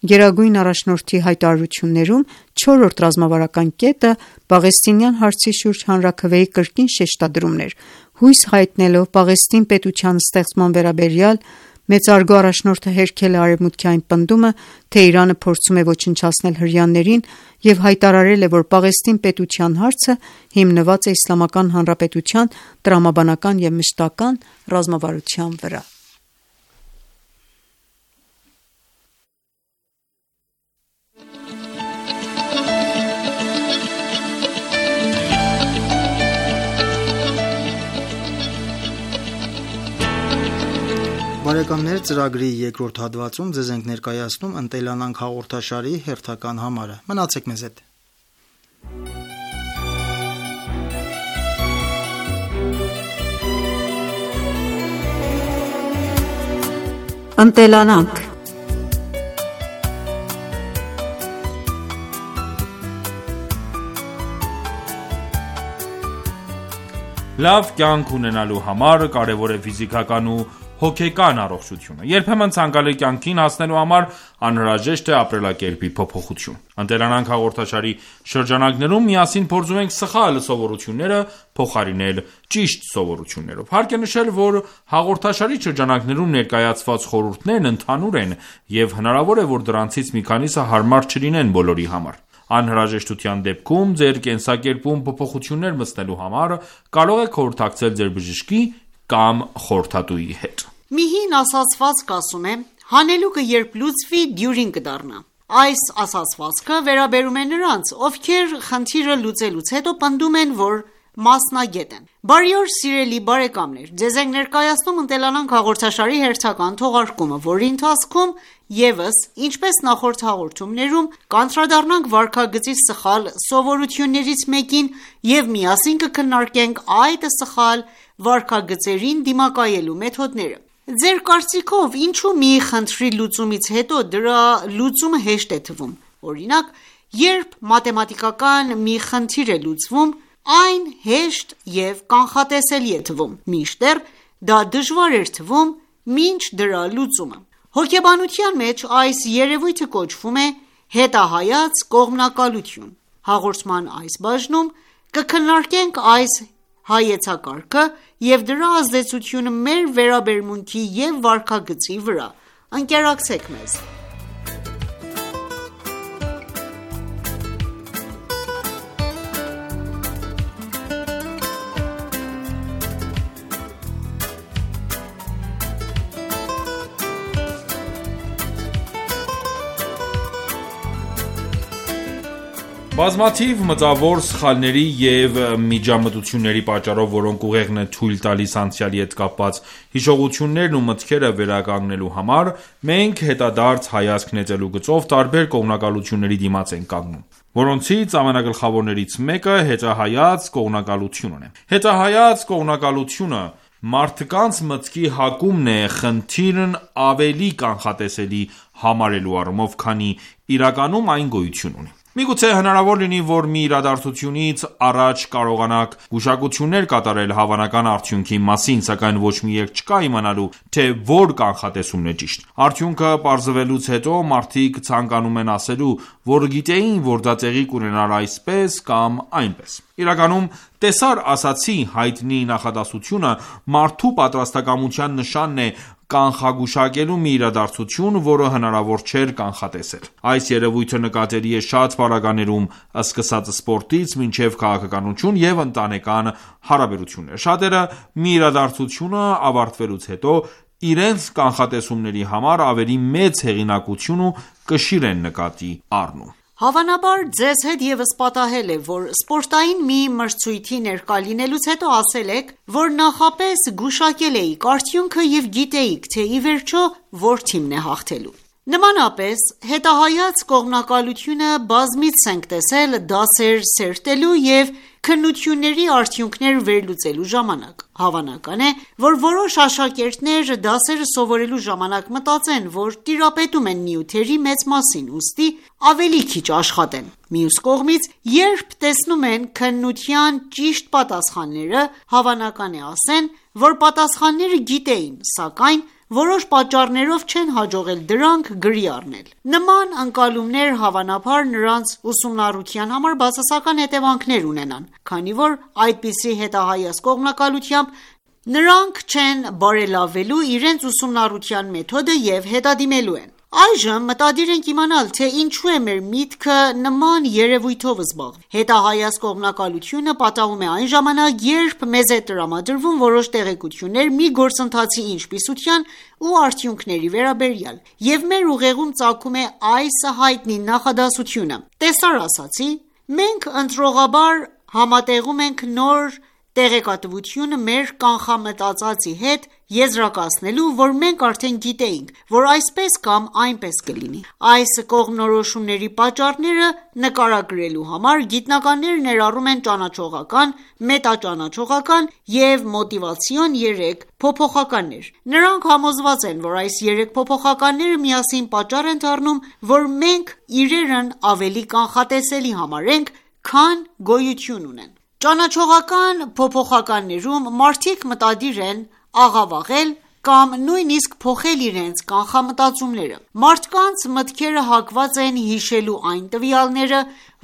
Գերագույն առաջնորդի հայտարարություններում չորրորդ ռազմավարական կետը պաղեստինյան հարցի շուրջ հանրաքվեի կրկին շեշտադրումն էր, հույս հայտնելով Պաղեստին պետության ստեղծման վերաբերյալ մեծարգո առաջնորդը հերքել է Արևմուտքի այն պնդումը, թե Իրանը փորձում է ոչնչացնել հրեաներին և հայտարարել է, որ Պաղեստին պետության հարցը հիմնված է Իսլամական Հանրապետության տրամաբանական և մշտական ռազմավարության վրա։ Բարեկամներ, ծրագրի երկրորդ հատվածում ձեզ ենք ներկայացնում «Ընտելանանք» հաղորդաշարի հերթական համարը։ Մնացեք մեզ հետ։ Ընտելանանք։ Լավ կյանք ունենալու համար կարևոր է ֆիզիկական ու հոգեկան առողջությունը։ Երբեմն ցանկալի կյանքին հասնելու համար անհրաժեշտ է ապրելակերպի փոփոխություն։ «Ընտելանանք» հաղորդաշարի շրջանակներում միասին փորձում ենք սխալ սովորությունները փոխարինել ճիշտ սովորություններով։ Հարկ է նշել, որ հաղորդաշարի շրջանակներում ներկայացված խորհուրդներն ընդհանուր են, և հնարավոր է, որ դրանցից մի քանիսը հարմար չլինեն բոլորի համար։ Անհրաժեշտության դեպքում ձեր կենսակերպում փոփոխություններ մտցնելու համար կարող եք խորհրդակցել ձեր բժշկի կամ խորհրդատուի հետ։ Մի հին ասացվածք ասում է. հանելուկը երբ լուծվի, դյուրին կդառնա։ Այս ասացվածքը վերաբերում է նրանց, ովքեր խնդիրը լուծելուց հետո պնդում են, որ մասնագետ են։ Բարի օր, սիրելի բարեկամներ, ձեզ ենք ներկայացնում «Ընտելանանք» հաղորդաշարի հերթական թողարկումը, որի ընթացքում ևս, ինչպես նախորդ հաղորդումներում, կանդրադառնանք վարքագծի սխալ սովորություններից մեկին և միասին կքննարկենք այդ սխալ վարքագծերին դիմակայելու մեթոդները։ Ձեր կարծիքով, ինչու մի խնդրի լուծումից հետո դրա լուծումը հեշտ է թվում։ Օրինակ, երբ մաթեմատիկական մի խնդիր է լուծվում, այն հեշտ և կանխատեսելի է թվում, մինչդեռ դա դժվար էր թվում մինչ դրա լուծումը։ Հոգեբանության մեջ այս երևույթը կոչվում է հետահայաց կողմնակալություն։ Հաղորդման այս բաժնում կքննարկենք այս հայեցակարգը և դրա ազդեցությունը մեր վերաբերմունքի և վարքագծի վրա։ Ընկերակցեք մեզ։ Բազմաթիվ մտավոր սխալների և միջամտությունների պատճառով, որոնք ուղեղն է թույլ տալիս անցյալի հետ կապված հիշողություններն ու մտքերը վերականգնելու համար, մենք հետադարձ հայացք նետելու գծով տարբեր կողմնակալությունների դիմաց ենք կանգնում, որոնցից ամենագլխավորներից մեկը հետահայաց կողմնակալությունն է։ Հետահայաց կողմնակալությունը մարդկանց մտքի հակումն է խնդիրն ավելի կանխատեսելի համարելու առումով, քանի իրականում այն գոյություն ունի։ Միգուցե հնարավոր լինի, որ մի իրադարձությունից առաջ կարողանաք գուշակություններ կատարել հավանական արդյունքի մասին, սակայն ոչ մի երկ չկա իմանալու, թե որ կանխատեսումն է ճիշտ։ Արդյունքը պարզվելուց հետո մարդիկ ցանկանում են ասելու, որ գիտեին, որ դա տեղի կունենար այսպես կամ այնպես։ Իրականում տեսար ասացի հայտնի նախադասությունը մարդու պատրաստակամության նշանն է կանխագուշակելու մի իրադարձություն, որը հնարավոր չէր կանխատեսել։ Այս երևույթը նկատելի է շատ պարագաներում, սկսած սպորտից մինչև քաղաքականություն և ընտանեկան հարաբերություններ։ Շատերը մի իրադարձությունը ավարտվելուց հետո իրենց կանխատեսումների համար ավելի մեծ հեղինակություն ու կշիռ են նկատի առնում։ Հավանաբար ձեզ հետ ևս պատահել է, որ սպորտային մի մրցույթի ներկա լինելուց հետո ասել եք, որ նախապես գուշակել էիք արդյունքը և գիտեիք, թե ի վերջո որ թիմն է հաղթելու։ Նմանապես, հետահայաց կողմնակալությունը բազմիցս ենք տեսել դասեր սերտելու և քննությունների արդյունքներ վերլուծելու ժամանակ։ Հավանական է, որ որոշ աշակերտներ դասերը սովորելու ժամանակ մտածեն, որ տիրապետում են նյութերի մեծ մասին, ուստի ավելի քիչ աշխատեն։ Մյուս կողմից, երբ տեսնում են քննության ճիշտ պատասխանները, հավանական է ասեն, որ պատասխանները գիտեին, սակայն որոշ պատճառներով չեն հաջողել դրանք գրի առնել։ Նման ընկալումներ հավանաբար նրանց ուսումնառության համար բացասական հետևանքներ ունենան, քանի որ այդպիսի հետահայաց կողմնակալությամբ նրանք չեն բարելավելու իրենց ուսումնառության մեթոդը և հետադիմելու են։ Այժմ մտադիր ենք իմանալ, թե ինչու է մեր միտքը նման երևույթով զբաղվել։ Հետահայաց կողմնակալությունը պատահում է այն ժամանակ, երբ մեզ է տրամադրվում որոշ տեղեկություններ մի գործընթացի ինչպիսության ու արդյունքների վերաբերյալ, և մեր ուղեղում ծագում է այս հայտնի նախադասությունը. տեսար ասացի, մենք ընտրողաբար համատեղում ենք նոր տեղեկատվությունը մեր կանխամտածածի հետ եզրակացնելու, որ մենք արդեն գիտեինք, որ այսպես կամ այնպես կլինի։ Այս կողմնորոշումների պատճառները նկարագրելու համար գիտնականները ներառում են ճանաչողական, մետաճանաչողական և մոտիվացիոն 3 փոփոխականներ։ Նրանք համոզված են, որ այս 3 փոփոխականները միասին պատճառ են դառնում, որ մենք իրերն ավելի կանխատեսելի համարենք, քան գոյություն ունեն։ Ճանաչողական փոփոխականներում մարդիկ մտադիր են աղավաղել կամ նույնիսկ փոխել իրենց կանխամտածումները։ Մարդկանց մտքերը հակված են հիշելու այն տվյալները,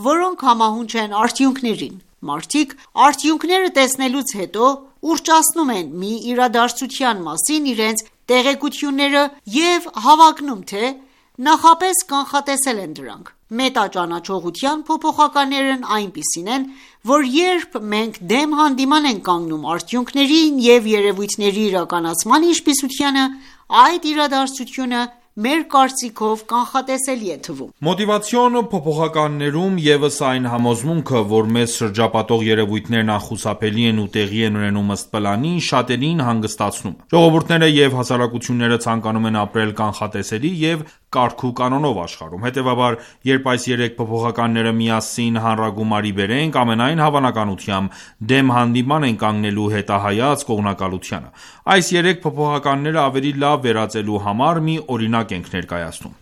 որոնք համահունչ են արդյունքներին։ Մարդիկ արդյունքները տեսնելուց հետո ուռճացնում են մի իրադարձության մասին իրենց տեղեկությունները և հավակնում, թե նախապես կանխատեսել են դրանք։ Մետաճանաչողության փոփոխականներն այնպիսին են, որ երբ մենք դեմ հանդիման ենք կանգնում արդյունքներին և երևույթների իրականացման ինչպիսությանը, այդ իրադարձությունը մեր կարծիքով կանխատեսելի է թվում։ Մոտիվացիոն փոփոխականներում ևս այն համոզմունքը, որ մեզ շրջապատող երևույթներն անխուսափելի են ու տեղի են ունենում ըստ պլանի, շատերին հանգստացնում։ Ժողովուրդները և հասարակությունները ցանկանում են ապրել կանխատեսելի և կարգու կանոնով աշխարհում։ Հետևաբար, երբ այս 3 փոփոխականները միասին հանրագումարի բերենք, ամենայն հավանականությամբ դեմ հանդիման են կանգնելու հետահայաց կողմնակալությանը։ Այս 3 փոփոխականները ավելի լավ վերածելու համար մի օրինակ ենք ներկայացնում։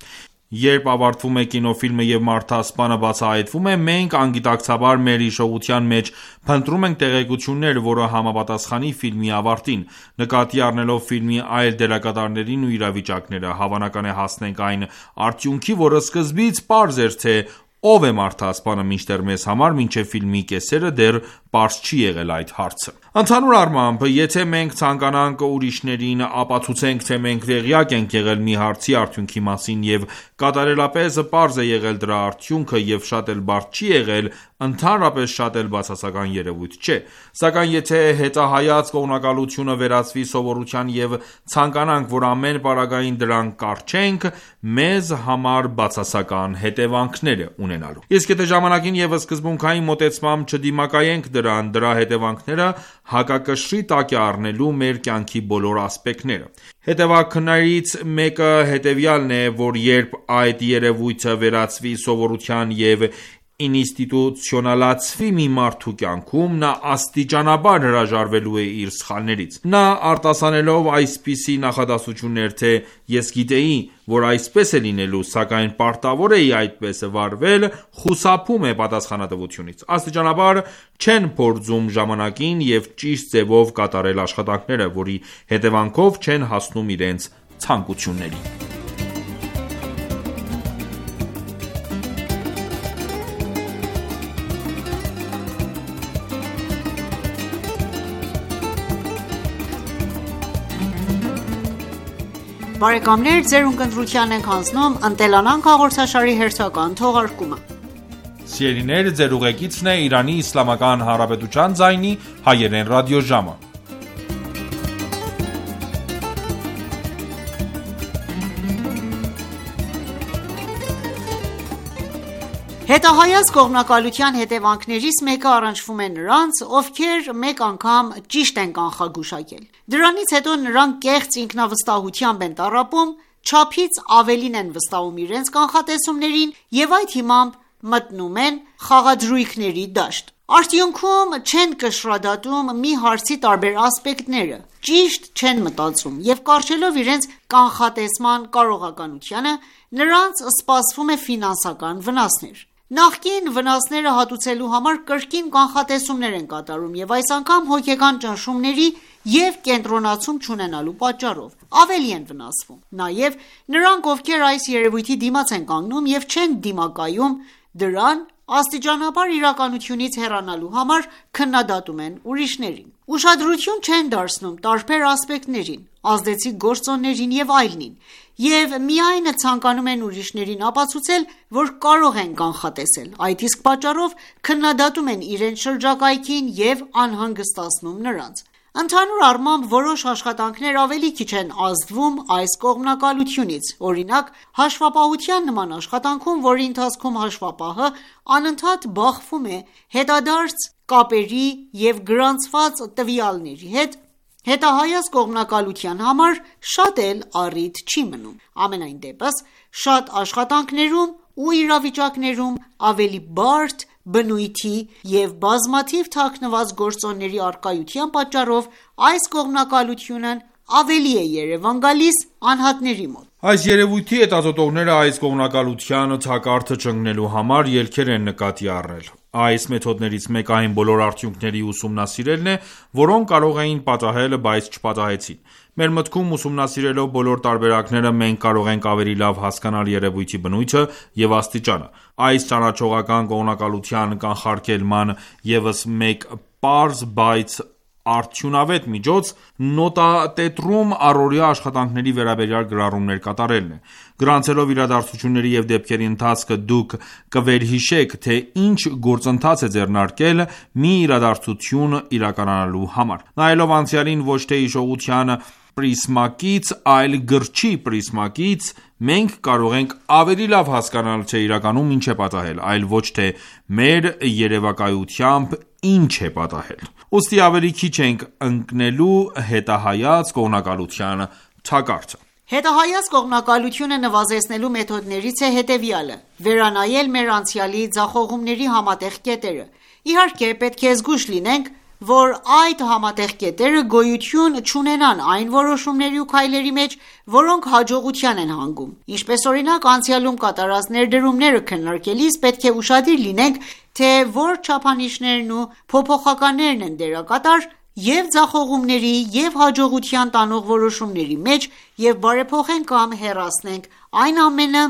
Երբ ավարտվում է կինոֆիլմը և մարդասպանը բացահայտվում է, մենք անգիտակցաբար մեր հիշողության մեջ փնտրում ենք տեղեկություններ, որը համապատասխանի ֆիլմի ավարտին։ Նկատի առնելով ֆիլմի այլ դերակատարներին ու իրավիճակները, հավանական է հասնենք այն արդյունքի, որը սկզբից պարզ էր, թե ով է մարդասպանը, մինչդեռ մեզ համար մինչև ֆիլմի կեսերը դեռ պարզ չի եղել այդ հարցը։ Ընդհանուր առմամբ, եթե մենք ցանկանանք ուրիշներին ապացուցենք, թե մենք տեղյակ ենք եղել մի հարցի արդյունքի մասին և կատարելապես պարզ է եղել դրա արդյունքը և շատ էլ բարդ չի եղել, ընդհանրապես շատ էլ բացասական երևույթ չէ։ Սակայն եթե հետահայաց կողմնակալությունը վերածվի սովորության և ցանկանանք, որ ամեն պարագային դրան կառչենք, մեզ համար բացասական հետևանքներ է ունենալու։ Իսկ եթե ժամանակին և սկզբունքային մոտեցմամբ չդիմակայենք դրան, դրա հետևանքները հակակշռի տակ է առնելու մեր կյանքի բոլոր ասպեկտները։ Հետևանքներից մեկը հետևյալն է, որ երբ այդ երևույթը վերածվի սովորության և ինստիտուցիոնալացվի մի մարդու կյանքում, նա աստիճանաբար հրաժարվելու է իր սխալներից։ Նա արտասանելով այսպիսի նախադասություններ, թե ես գիտեի, որ այսպես է լինելու, սակայն պարտավոր էի այդպես վարվել, խուսափում է պատասխանատվությունից։ Աստիճանաբար չեն փորձում ժամանակին և ճիշտ ձևով կատարել աշխատանքները, որի հետևանքով չեն հասնում իրենց ցանկություններին։ Բարեկամներ, ձերուն կնդրության ենք հանձնում «Ընտելանանք» հաղորդաշարի հերթական թողարկումը։ Սիրելիներ, ձեր ուղեկիցն է Իրանի Իսլամական Հանրապետության ձայնի հայերեն ռադիոժամը։ Հետահայաց կողմնակալության հետևանքներից մեկը առնչվում է նրանց, ովքեր մեկ անգամ ճիշտ են կանխագուշակել։ Դրանից հետո նրանք կեղծ ինքնավստահությամբ են տառապում, չափից ավելին են վստահում իրենց կանխատեսումներին և այդ հիմամբ մտնում են խաղադրույքների դաշտ։ Արդյունքում չեն կշռադատում մի հարցի տարբեր ասպեկտները, ճիշտ չեն մտածում և կարճելով իրենց կանխատեսման կարողականությունը, նրանց սպասվում է ֆինանսական վնասներ։ Նախկին վնասները հատուցելու համար կրկին կանխատեսումներ են կատարում և այս անգամ հոգեկան ճնշումների և կենտրոնացում չունենալու պատճառով ավելի են վնասվում։ Նաև նրանք, ովքեր այս երևույթի դիմաց են կանգնում և չեն դիմակայում դրան, աստիճանաբար իրականությունից հեռանալու համար քննադատում են ուրիշներին։ Ուշադրություն չեն դարձնում տարբեր ասպեկտներին, ազդեցիկ գործոններին և այլնին, և միայն ցանկանում են ուրիշներին ապացուցել, որ կարող են կանխատեսել, այդ իսկ պատճառով քննադատում են իրենց շրջակայքին և անհանգստացնում նրանց։ Ընդհանուր առմամբ, որոշ աշխատանքներ ավելի քիչ են ազդվում այս կողմնակալությունից, օրինակ, հաշվապահության նման աշխատանքում, որի ընթացքում հաշվապահը անընդհատ բախվում է հետադարձ կապերի և գրանցված տվյալների հետ, հետահայաց կողմնակալության համար շատ էլ առիթ չի մնում։ Համենայն դեպս, շատ աշխատանքներում ու իրավիճակներում ավելի բարդ բնույթի և բազմաթիվ թաքնված գործոնների առկայության պատճառով այս կողմնակալությունն ավելի է երևան գալիս անհատների մոտ։ Այս երևույթի հետազոտողները այս կողմնակալության թակարդը չընկնելու համար ելքեր են նկատի առնել։ Այս մեթոդներից մեկը այն բոլոր արդյունքների ուսումնասիրելն է, որոնք կարող էին պատահել, բայց չպատահեցին։ Մեր մտքում ուսումնասիրելով բոլոր տարբերակները մենք կարող ենք ավելի լավ հասկանալ երևույթի բնույթը և աստիճանը։ Այս ճանաչողական կողմնակալության կանխարգելման ևս մեկ պարզ, բայց արդյունավետ միջոց նոտատետրում առօրյա աշխատանքների վերաբերյալ գրառումներ կատարելն է։ Գրանցելով իրադարձությունների և դեպքերի ընթացքը դուք կվերհիշեք, թե ինչ գործընթաց է ձեռնարկել մի իրադարձություն իրականանալու համար։ Նայելով անցյալին ոչ թե հիշողության պրիզմակից, այլ գրչի պրիզմակից, մենք կարող ենք ավելի լավ հասկանալ, թե իրականում ինչ է պատահել, այլ ոչ թե մեր երևակայությամբ ինչ է պատահել։ Ուստի ավելի քիչ ենք ընկնելու հետահայաց կողմնակալության թակարդը։ Հետահայաց կողմնակալությունը նվազեցնելու մեթոդներից է հետևյալը՝ վերանայել մեր անցյալի ձախողումների համատեղ կետերը։ Իհարկե, պետք է զգույշ լինենք, որ այդ համատեղ կետերը գոյություն չունենան այն որոշումների ու քայլերի մեջ, որոնք հաջողության են հանգում։ Ինչպես օրինակ, անցյալում կատարած ներդրումները քննարկելիս պետք է ուշադիր լինենք, թե որ չափանիշներն ու փոփոխականներն են դերակատար և ձախողումների և հաջողության տանող որոշումների մեջ և բարեփոխենք կամ հեռացնենք այն ամենը,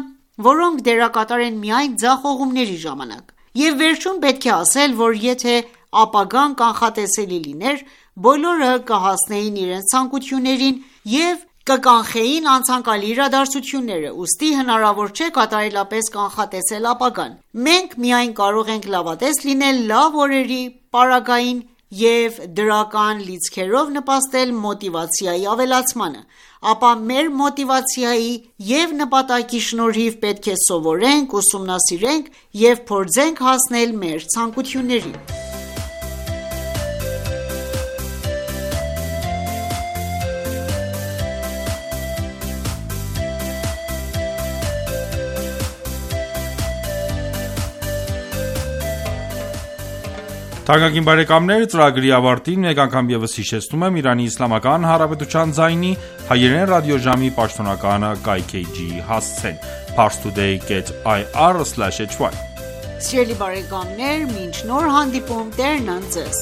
որոնք դերակատար են միայն ձախողումների ժամանակ։ Եվ վերջում պետք է ասել, որ եթե ապագան կանխատեսելի լիներ, բոլորը կհասնեին իրենց ցանկություններին և կկանխեին անցանկալի իրադարձությունները, ուստի հնարավոր չէ կատարելապես կանխատեսել ապագան։ Մենք միայն կարող ենք լավատես լինել լավ օրերի պարագային և դրական լիցքերով նպաստել մոտիվացիայի ավելացմանը, ապա մեր մոտիվացիայի և նպատակի շնորհիվ պետք է սովորենք, ուսումնասիրենք և փորձենք հասնել մեր ցանկություններին։ Թանկագին բարեկամներ, ծրագրի ավարտին մեկ անգամ ևս հիշեցնում եմ Իրանի Իսլամական Հանրապետության ձայնի հայերեն ռադիոժամի պաշտոնական կայքէջի հասցեն parstoday.ir/hy։ Սիրելի բարեկամներ, մինչ նոր հանդիպում, Տերն ընդ ձեզ։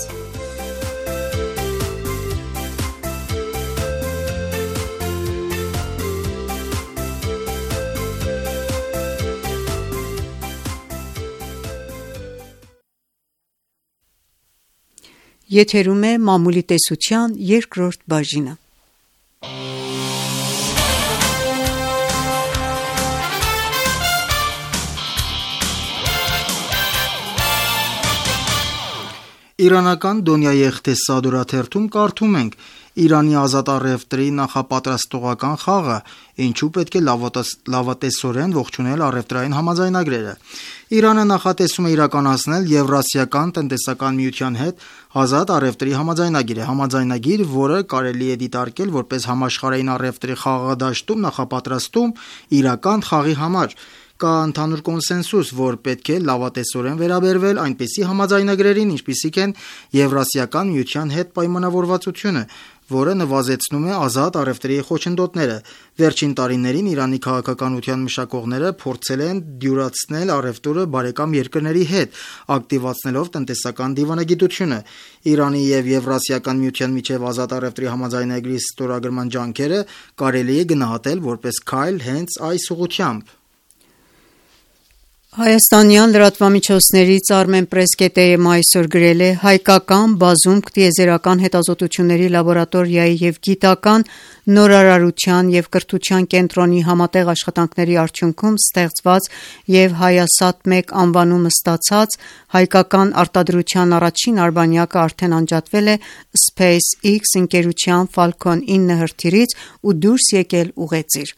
Եթերում է մամուլի տեսության երկրորդ բաժինը։ Իրանական Դոնյայի Էղթեսադուրա թերթում կարդում ենք. Իրանի ազատ առևտրի նախապատրաստողական խաղը, ինչու պետք է լավատեսորեն ողջունել առևտրային համաձայնագրերը։ Իրանը նախատեսում է իրականացնել Եվրասիական տնտեսական միության հետ ազատ առևտրի համաձայնագիր, համաձայնագիր, որը կարելի է դիտարկել որպես համաշխարհային առևտրի խաղադաշտում նախապատրաստում իրական խաղի համար։ Կա ընդհանուր կոնսենսուս, որ պետք է լավատեսորեն վերաբերվել այնպիսի համաձայնագրերին, ինչպիսիք են Եվրասիական միության հետ պայմանավորվածությունը, որը նվազեցնում է ազատ առևտրի խոչընդոտները։ Վերջին տարիներին Իրանի քաղաքականության մշակողները փորձել են դյուրացնել առևտուրը բարեկամ երկրների հետ, ակտիվացնելով տնտեսական դիվանագիտությունը։ Իրանի եւ Եվրասիական միության միջև ազատ առևտրի համաձայնագրի ստորագրման ջանքերը կարելի է գնահատել որպես քայլ հենց այս ուղղությամբ։ Հայաստանյան լրատվամիջոցներից Armenpress.am այսօր գրել է. հայկական բազում տիեզերական հետազոտությունների լաբորատորիայի և գիտական նորարարության և կրթության կենտրոնի համատեղ աշխատանքների արդյունքում ստեղծված և Հայասատ-1 անվանումը ստացած հայկական արտադրության առաջին արբանյակը արդեն անջատվել է SpaceX ընկերության Falcon 9 հրթիռից ու դուրս եկել ուղեծիր։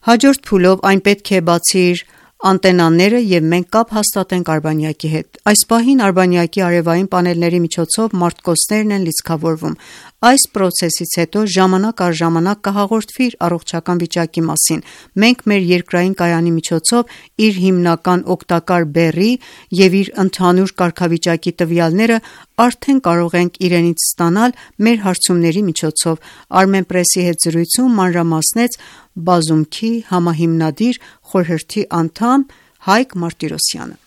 Հաջորդ փուլով այն պետք է բացի իր անտենաները և մենք կապ հաստատենք արբանյակի հետ։ Այս պահին արբանյակի արևային պանելների միջոցով մարտկոցներն են լիցքավորվում։ Այս պրոցեսից հետո ժամանակ առ ժամանակ կհաղորդվի իր առողջական վիճակի մասին։ Մենք մեր երկրային կայանի միջոցով իր հիմնական օգտակար բեռի և իր ընդհանուր կարգավիճակի տվյալները արդեն կարող ենք իրենից ստանալ մեր հարցումների միջոցով, Armenpress-ի հետ զրույցում մանրամասնեց բազումքի համահիմնադիր խորհրդի անդամ Հայկ Մարտիրոսյանը։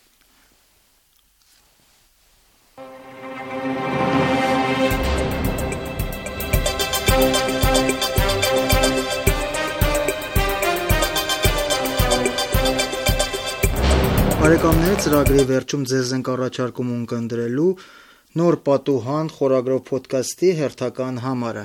Բարեկամներ, ծրագրի վերջում ձեզ ենք առաջարկում ունկնդրելու Նոր պատուհան խորագրով փոդքասթի հերթական համարը։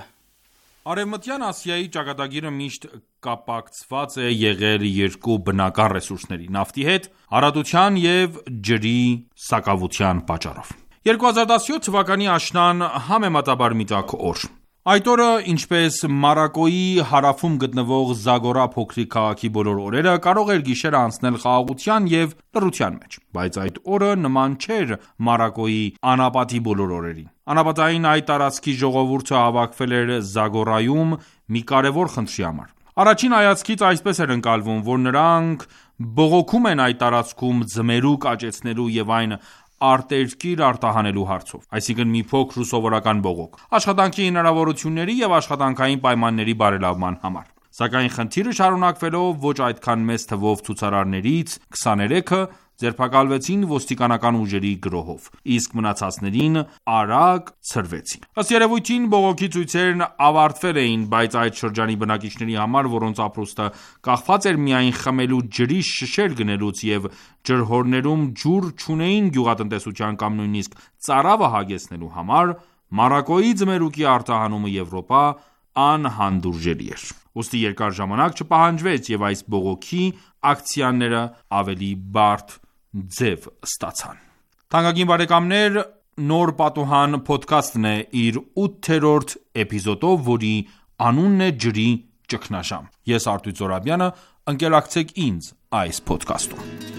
Արևմտյան Ասիայի ճակատագիրը միշտ կապակցված է եղել երկու բնական ռեսուրսների՝ նավթի հետ, առատության և ջրի սակավության պատճառով։ 2017 թվականի աշնան համեմատաբար մի տաք օր։ Այդ օրը, ինչպես Մարոկկոյի հարավում գտնվող Զագորա փոքրիկ քաղաքի բոլոր օրերը, կարող էր գիշերը անցնել խաղաղության և լռության մեջ, բայց այդ օրը նման չէր Մարոկկոյի անապատի բոլոր օրերին։ Անապատային այդ տարածքի ժողովուրդը հավաքվել էր Զագորայում մի կարևոր խնդրի համար։ Առաջին հայացքից այսպես էր ընկալվում, որ նրանք բողոքում են այդ տարածքում ձմերուկ աճեցնելու և այն արտերկիր արտահանելու հարցով, այսինքն մի փոքր ու սովորական բողոք, աշխատանքի հնարավորությունների և աշխատանքային պայմանների բարելավման համար։ Սակայն խնդիրը շարունակվելով ոչ այդքան մեծ թվով ցուցարարներից 23-ը ձերբակալվեցին ոստիկանական ուժերի գրոհով, իսկ մնացածներին արագ ցրվեցին։ Ըստ երևույթին բողոքի ցույցերն ավարտվել էին, բայց այդ շրջանի բնակիչների համար, որոնց ապրուստը կախված էր միայն խմելու ջրի շշեր գնելուց և ջրհորներում ջուր չունեին գյուղատնտեսության կամ նույնիսկ ծարավը հագեցնելու համար, Մարոկկոյի ձմերուկի արտահանումը Եվրոպա անհանդուրժելի էր։ Ուստի երկար ժամանակ չպահանջվեց և այս բողոքի ակցիաները ավելի բարդ ձև ստացան։ Թանկագին բարեկամներ, Նոր պատուհան փոդքասթն է իր 8-րդ էպիզոդով, որի անունն է ջրի ճգնաժամ։ Ես Արտույտ Զորաբյանը, ընկերակցեք ինձ այս փոդքասթում։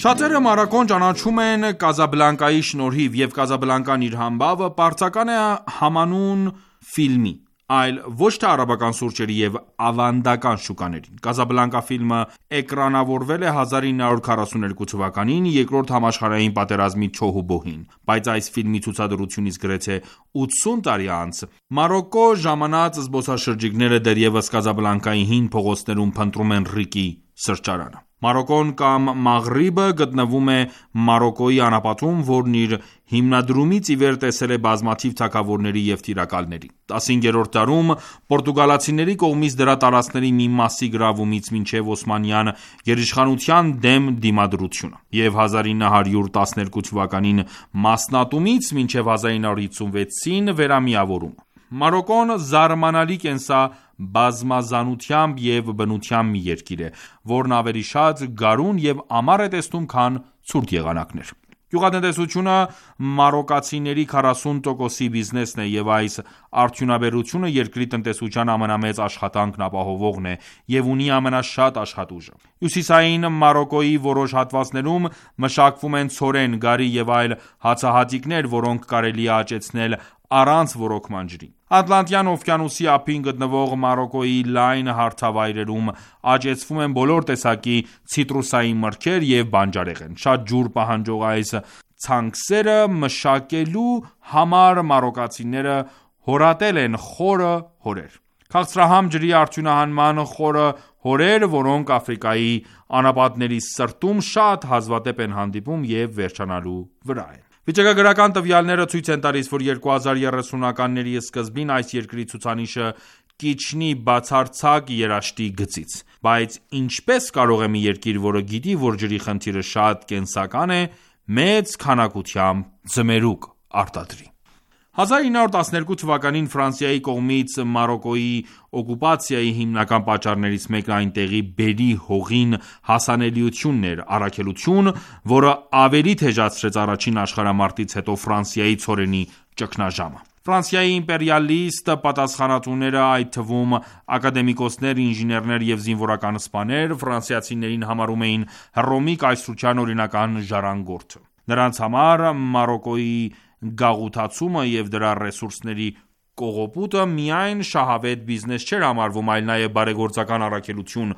Շատերը Մարոկկոն ճանաչում են Կազաբլանկայի շնորհիվ, և Կազաբլանկան իր համբավը պարզական է համանուն ֆիլմի, այլ ոչ թե արաբական սուրճերի և ավանդական շուկաներին։ Կազաբլանկա ֆիլմը էկրանավորվել է 1942 թվականին, Երկրորդ համաշխարհային պատերազմի չոհուբոհին, բայց այս ֆիլմի ցուցադրությունից գրեթե 80 տարի անց Մարոկկո ժամանած զբոսաշրջիկները դեռևս Կազաբլանկայի հին փողոցներում փնտրում են Ռիկի սրճարանը։ Մարոկոն կամ Մաղրիբը գտնվում է Մարոկոյի անապատում, որն իր հիմնադրումից ի վեր տեսել է բազմաթիվ թագավորների և տիրակալների: 15-րդ դարում պորտուգալացիների կողմից դրա տարածքների մի մասի գրավումից մինչև օսմանյան գերիշխանության դեմ դիմադրությունը և 1912 թվականին մասնատումից մինչև 1956-ին վերամիավորումը: Մարոկոն զարմանալի կենսաբազմազանությամբ և բնությամբ մի երկիր է, որն ավելի շատ գարուն և ամառ է տեսնում, քան ցուրտ եղանակներ: Գյուղատնտեսությունը մարոկացիների 40%-ի բիզնեսն է և այս արդյունաբերությունը երկրի տնտեսության ամենամեծ աշխատանքն ապահովողն է և ունի ամենաշատ աշխատուժը: Հյուսիսային Մարոկոյի որոշ հատվածներում մշակվում են ցորեն, գարի և այլ հացահատիկներ, որոնք կարելի է աճեցնել առանց ոռոգման ջրի: Ատլանտյան օվկիանոսի ափին գտնվող Մարոկոյի լայն հարթավայրերում աճեցվում են բոլոր տեսակի ցիտրուսային մրգեր և բանջարեղեն: Շատ ջուր պահանջող այս ցանքսերը մշակելու համար մարոկացիները հորատել են խորը հորեր: Քաղցրահամ ջրի արդյունահանման խորը հորեր, որոնք Աֆրիկայի անապատների սրտում շատ հազվադեպ են հանդիպում և վերջանալու վրա են: Վիճակագրական տվյալները ցույց են տալիս, որ 2030-ականների սկզբին այս երկրի ցուցանիշը կիջնի բացարձակ երաշտի գծից: Բայց ինչպե՞ս կարող է մի երկիր, որը գիտի, որ ջրի խնդիրը շատ կենսական է, մեծ քանակությամբ ձմերուկ արտադրի: 1912 թվականին Ֆրանսիայի կողմից Մարոկոյի օկուպացիայի հիմնական պատճառներից մեկն այնտեղի բերրի հողին հասանելիությունն էր, առաքելություն, որը ավելի թեժացրեց առաջին աշխարհամարտից հետո Ֆրանսիայի ցորենի ճգնաժամը: Ֆրանսիայի իմպերիալիստ պատասխանատուները, այդ թվում ակադեմիկոսներ, ինժեներներ և զինվորական սպաներ, ֆրանսիացիներին համարում էին Հռոմի կայսրության օրինական ժառանգորդը: Նրանց համար Մարոկոյի գաղութացումը և դրա ռեսուրսների կողոպուտը միայն շահավետ բիզնես չէր համարվում, այլ նաև բարեգործական առաքելություն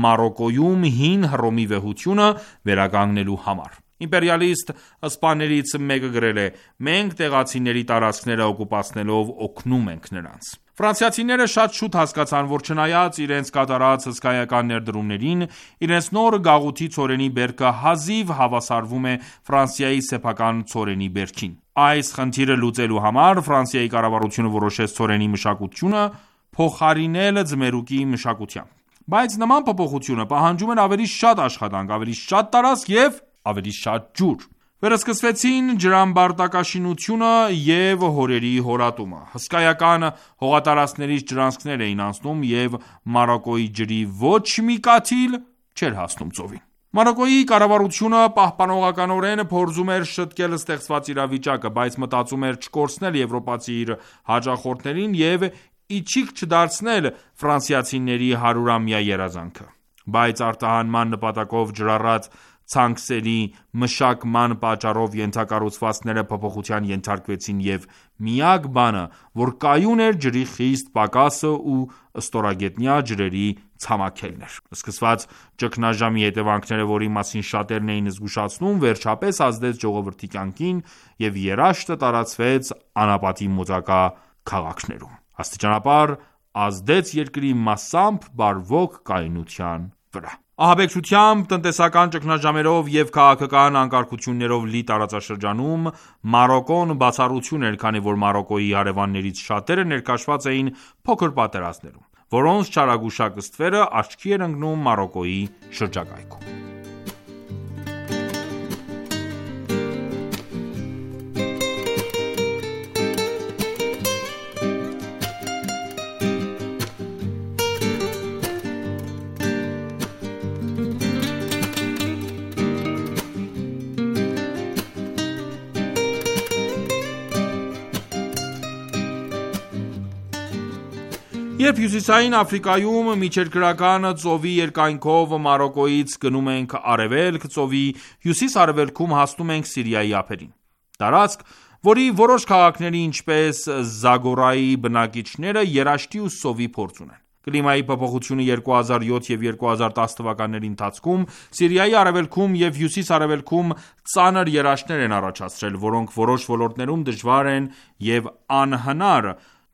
Մարոկոյում հին Հռոմի վեհությունը վերականգնելու համար: Իմպերիալիստ սպաներից մեկը գրել է. «Մենք տեղացիների տարածքները օկուպացնելով օգնում ենք նրանց»: Ֆրանսիացիները շատ շուտ հասկացան, որ չնայած իրենց կատարած հսկայական ներդրումներին, իրենց նոր գաղութի ցորենի բերքը հազիվ հավասարվում է Ֆրանսիայի սեփական ցորենի բերքին: Այս խնդիրը լուծելու համար Ֆրանսիայի կառավարությունը որոշեց ցորենի մշակությունը փոխարինել ձմերուկի մշակությամբ: Բայց նման փոփոխությունը պահանջում էր ավելի շատ աշխատանք, ավելի շատ տարածք և ավելի շատ ջուր: Վերսկսվեցին ջրամբարտակաշինությունը և հորերի հորատումը: Հսկայական հողատարածքներից ջրանցքներ էին անցնում և Մարոկոյի ջրի ոչ մի կաթիլ չէր հասնում ծովին: Մարոկոյի կառավարությունը պահպանողականորեն փորձում էր շտկել ստեղծված իրավիճակը, բայց մտածում էր չկորցնել եվրոպացի իր հաճախորդներին և իչիք չդարձնել ֆրանսիացիների 100-ամյա երազանքը: Բայց արտահանման նպատակով ջրառած ցանքսերի մշակման պատճառով ենթակառուցվածքները փոփոխության ենթարկվեցին և միակ բանը, որ կայուն էր ջրի խիստ պակասը ու ստորագետնյա ջրերի ցամաքելն էր: Սկսված ճգնաժամի հետևանքները, որի մասին շատերն էին զգուշացնում, վերջապես ազդեց ժողովրդի կյանքին և երաշտը տարածվեց անապատի մոտակա քաղաքներում: Աստիճանաբար ազդեց երկրի մասամբ բարվոք կայունության վրա: Ահաբեկչությամբ, տնտեսական ճգնաժամերով և քաղաքական անկարգություններով լի տարածաշրջանում Մարոկոն բացառություն էր, քանի որ Մարոկոյի հարևաններից շատերը ներքաշված էին փոքր պատերազմներում, որոնց չարագուշակ ստվերը աչքի էր ընկնում Մարոկոյի շրջակայքում: Երբ Հյուսիսային Աֆրիկայում միջերկրական ծովի երկայնքով Մարոկոյից գնում ենք արևելք, ծովի հյուսիս-արևելքում հասնում ենք Սիրիայի ափերին: Տարածք, որի որոշ քաղաքների, ինչպես Զագորայի բնակիչները երաշտի ու սովի փորձ ունեն: Կլիմայի փոփոխությունը 2007 և 2010 թվականների ընթացքում Սիրիայի արևելքում և հյուսիս-արևելքում ծանր երաշտներ են առաջացրել, որոնք որոշ ոլորտներում դժվար են և անհնար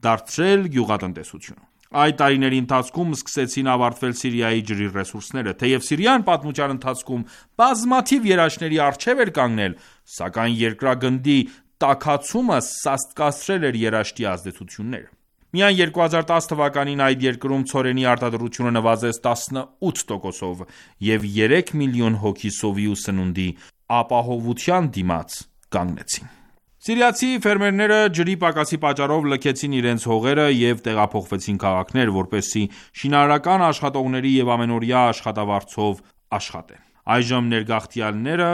դարձրել գյուղատնտեսությունը: Այդ տարիների ընթացքում սկսեցին ավարտվել Սիրիայի ջրի ռեսուրսները։ Թեև Սիրիան պատմության ընթացքում բազմաթիվ երաշտների առջև էր կանգնել, սակայն երկրագնդի տաքացումը սաստկացրել էր երաշտի ազդեցությունները։ Միայն 2010 թվականին այդ երկրում ցորենի արտադրությունը նվազեց 18%-ով և 3 միլիոն հոգի սովի ու սնունդի ապահովության դիմաց կանգնեցին։ Սիրիացի ֆերմերները ջրի պակասի պատճառով լքեցին իրենց հողերը և տեղափոխվեցին քաղաքներ, որպեսզի շինարարական աշխատողների և ամենօրյա աշխատավարձով աշխատեն։ Այժմ ներգաղթյալները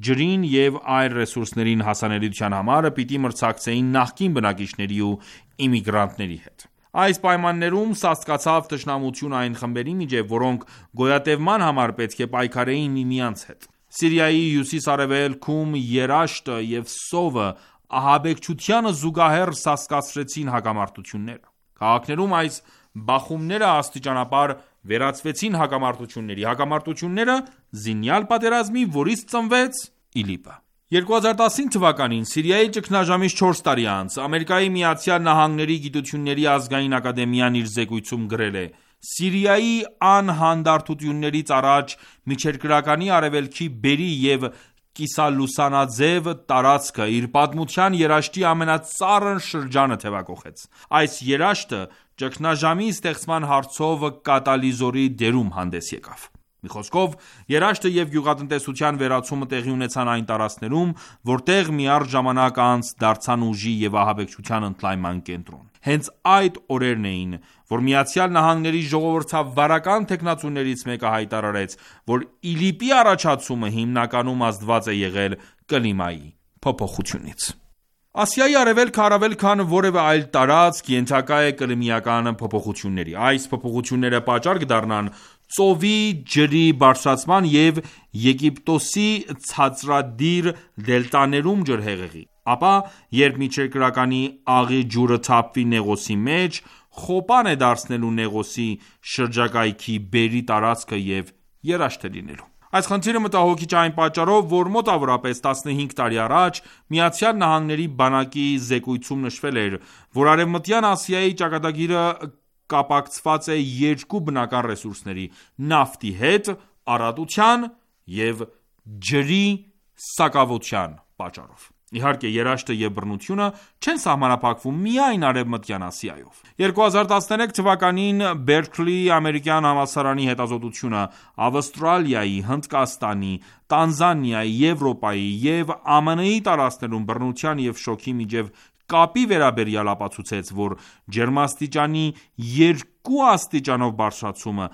ջրին և այլ ռեսուրսներին հասանելիության համար պիտի մրցակցեին նախկին բնակիչների ու իմիգրանտների հետ։ Այս պայմաններում սաստկացավ թշնամությունը այն խմբերի միջև, որոնք գոյատևման համար պետք է պայքարեին միմյանց հետ։ Սիրիայի հյուսիս-արևելքում երաշտը և սովը ահաբեկչությանը զուգահեռ սաստկացրեցին հակամարտությունները։ Քաղաքներում այս բախումները աստիճանաբար վերածվեցին հակամարտությունների։ Հակամարտությունները զինյալ պատերազմի, որից ծնվեց ԻԼԻՊ-ը։ 2015 թվականին Սիրիայի ճգնաժամից 4 տարի անց ԱՄՆ գիտությունների ազգային ակադեմիան իր զեկույցում գրել է. «Սիրիայի անհանդարտություններից առաջ միջերկրականի արևելքի բերրի և կիսալուսանաձև տարածքը իր պատմության երաշտի ամենածառն շրջանը թևակոխեց։ Այս երաշտը ճգնաժամի ստեղծման հարցով կատալիզորի դերում հանդես եկավ։ Մի խոսքով, երաշտը և գյուղատնտեսության վերացումը տեղի ունեցան այն տարածքներում, որտեղ միառժամանակ անց դարձան ուժի և ահաբեկչության ընդլայնման կենտրոն։ Հենց այդ օրերն էին, որ ԱՄՆ ժողովրդավարական թեկնածուներից մեկը հայտարարեց, որ ԻԼԻՊ-ի առաջացումը հիմնականում ազդված է եղել կլիմայի փոփոխությունից։ Ասիայի արևելքը առավել քան որևէ այլ տարածք ենթակա է կլիմայական փոփոխությունների։ Այս փոփոխությունները պատճառ կդառնան ծովի ջրի բարձրացման և Եգիպտոսի ցածրադիր դելտաներում ջրհեղեղի, ապա երբ միջերկրականի աղի ջուրը թափվի Նեղոսի մեջ, խոպան է դարձնելու Նեղոսի շրջակայքի բերրի տարածքը և երաշտ է լինելու։ Այս խնդիրը մտահոգիչ է այն պատճառով, որ մոտավորապես 15 տարի առաջ ԱՄՆ բանակի զեկույցում նշվել էր, որ Արևմտյան Ասիայի ճակատագիրը կապակցված է երկու բնական ռեսուրսների՝ նավթի հետ առատության և ջրի սակավության պատճառով։ Իհարկե, երաշտը և բռնությունը չեն սահմանափակվում միայն Արևմտյան Ասիայով։ 2013 թվականին Բերքլիի ամերիկյան համալսարանի հետազոտությունը Ավստրալիայի, Հնդկաստանի, Տանզանիայի, Եվրոպայի և ԱՄՆ-ի տարածքներում բռնության և շոկի միջև կապի վերաբերյալ ապացուցեց, որ ջերմաստիճանի 2 աստիճանով բարձրացումը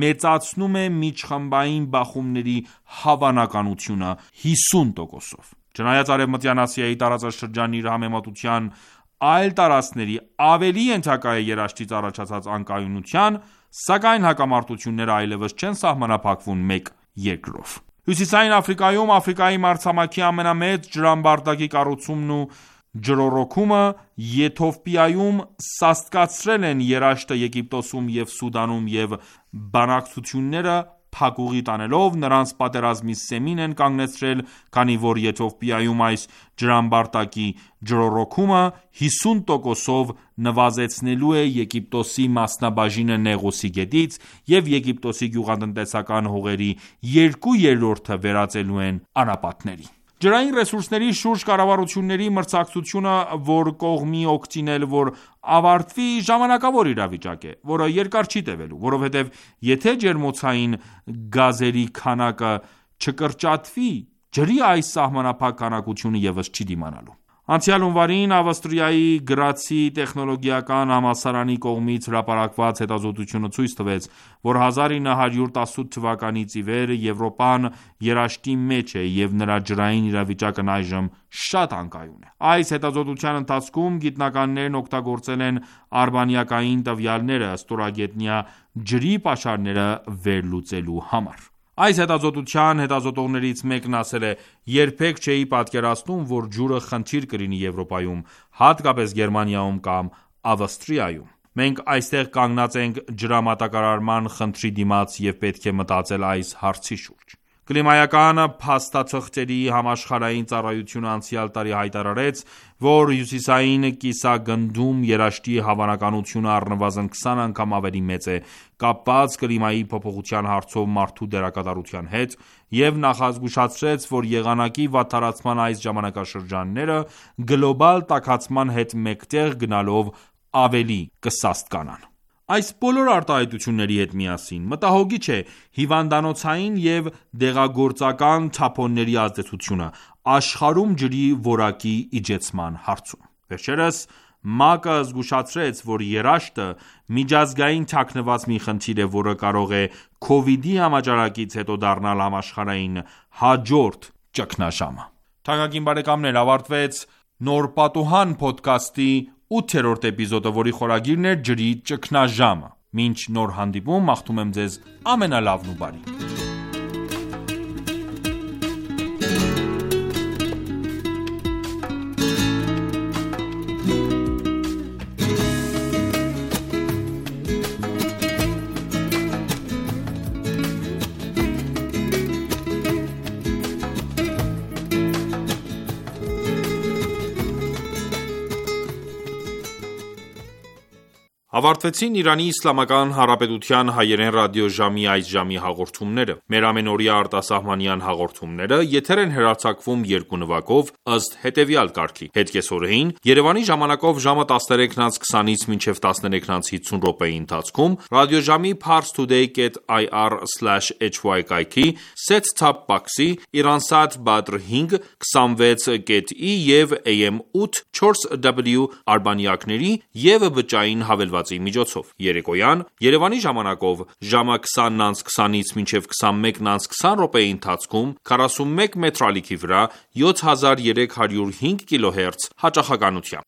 մեծացնում է միջխմբային բախումների հավանականությունը 50%-ով։ Չնայած Արևմտյան Ասիայի տարածաշրջանն իր համեմատության այլ տարածքների ավելի ենթակա է երաշտից առաջացած անկայունության, սակայն հակամարտությունները այլևս չեն սահմանափակվում մեկ երկրով։ Հյուսիսային Աֆրիկայում Աֆրիկայի մայրցամաքի ամենամեծ ջրամբարտակի կառուցումն ու ջրոռոքումը Եթովպիայում սաստկացրել են երաշտը Եգիպտոսում և Սուդանում և բանակցությունները փակուղի տանելով նրանց պատերազմի սեմին են կանգնեցրել, քանի որ Եթովպիայում այս ջրամբարտակի ջրոռոքումը 50%-ով նվազեցնելու է Եգիպտոսի մասնաբաժինը Նեղոսի գետից և Եգիպտոսի գյուղատնտեսական հողերի 2/3-ը վերածելու են անապատների։ Ջրային ռեսուրսների շուրջ կառավարությունների մրցակցությունը որ կողմի օգտին որ ավարտվի ժամանակավոր իրավիճակ է, որը երկար չի տևելու, որովհետև եթե ջերմոցային գազերի քանակը չկրճատվի, ջրի այս սահմանափակ քանակությունը ևս չի դիմանալու։ Անցյալ հունվարին Ավստրիայի Գրացի տեխնոլոգիական համալսարանի կողմից հրապարակված հետազոտությունը ցույց տվեց, որ 1918 թվականից ի վեր Եվրոպան երաշտի մեջ է և նրա ջրային իրավիճակն այժմ շատ անկայուն է։ Այս հետազոտության ընթացքում գիտնականներն օգտագործել են արբանյակային տվյալները ստորագետնյա ջրի պաշարները վերլուծելու համար։ Այս հետազոտության հետազոտողներից մեկն ասել է. «Երբեք չէի պատկերացնում, որ ջուրը խնդիր կլինի Եվրոպայում, հատկապես Գերմանիայում կամ Ավստրիայում։ Մենք այստեղ կանգնած ենք ջրամատակարարման խնդրի դիմաց և պետք է մտածել այս հարցի շուրջ»։ Կլիմայական փաստաթղթերի համաշխարհային ծառայությունը անցյալ տարի հայտարարեց, որ հյուսիսային կիսագնդում երաշտի հավանականությունը առնվազն 20 անգամ ավելի մեծ է կապված կլիմայի փոփոխության հարցով մարդու դերակատարության հետ և նախազգուշացրեց, որ եղանակի վատթարացման այս ժամանակաշրջանները գլոբալ տաքացման հետ մեկտեղ գնալով ավելի կսաստկանան: Այս բոլոր արտահայտությունների հետ միասին մտահոգիչ է հիվանդանոցային և դեղագործական թափոնների ազդեցությունը աշխարհում ջրի որակի իջեցման հարցում: Վերջերս ՄԱԿ-ը զգուշացրեց, որ երաշտը միջազգային թաքնված մի խնդիր է, որը կարող է Քովիդի համաճարակից հետո դառնալ համաշխարհային հաջորդ ճգնաժամը: Թանկագին բարեկամներ, ավարտվեց «Նոր պատուհան» փոդքասթի 8-րդ էպիզոդը, որի խորագիրն էր ջրի ճգնաժամը: Մինչ նոր հանդիպում մաղթում եմ ձեզ ամենալավն ու բարին: Ավարտվեցին Իրանի Իսլամական Հանրապետության հայերեն ռադիոժամի այս ժամի հաղորդումները: Մեր ամենօրյա արտասահմանյան հաղորդումները եթեր են հեռարձակվում երկու նվագով, ըստ հետևյալ կարգի: Հետկեսօրեին Երևանի ժամանակով ժամը 13:20-ից մինչև 13:50 րոպեի ընթացքում ռադիոժամի parstoday.ir/hy կայքի set-top box-ի, Iransat Badr 5, 26.E և AM 8 4W արբանյակների և բջջային հավելվածի միջոցով: Երեկոյան Երևանի ժամանակով ժամը 20:20-ից մինչև 21:20 րոպեի ընթացքում 41 մետրալիքի վրա 7305 kHz հաճախականությամբ: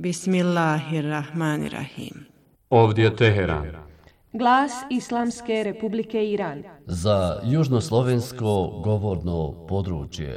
Bismillahirrahmanirrahim. Ovdje Teheran. Glas Islamske Republike Iran. Za južnoslovensko govorno područje.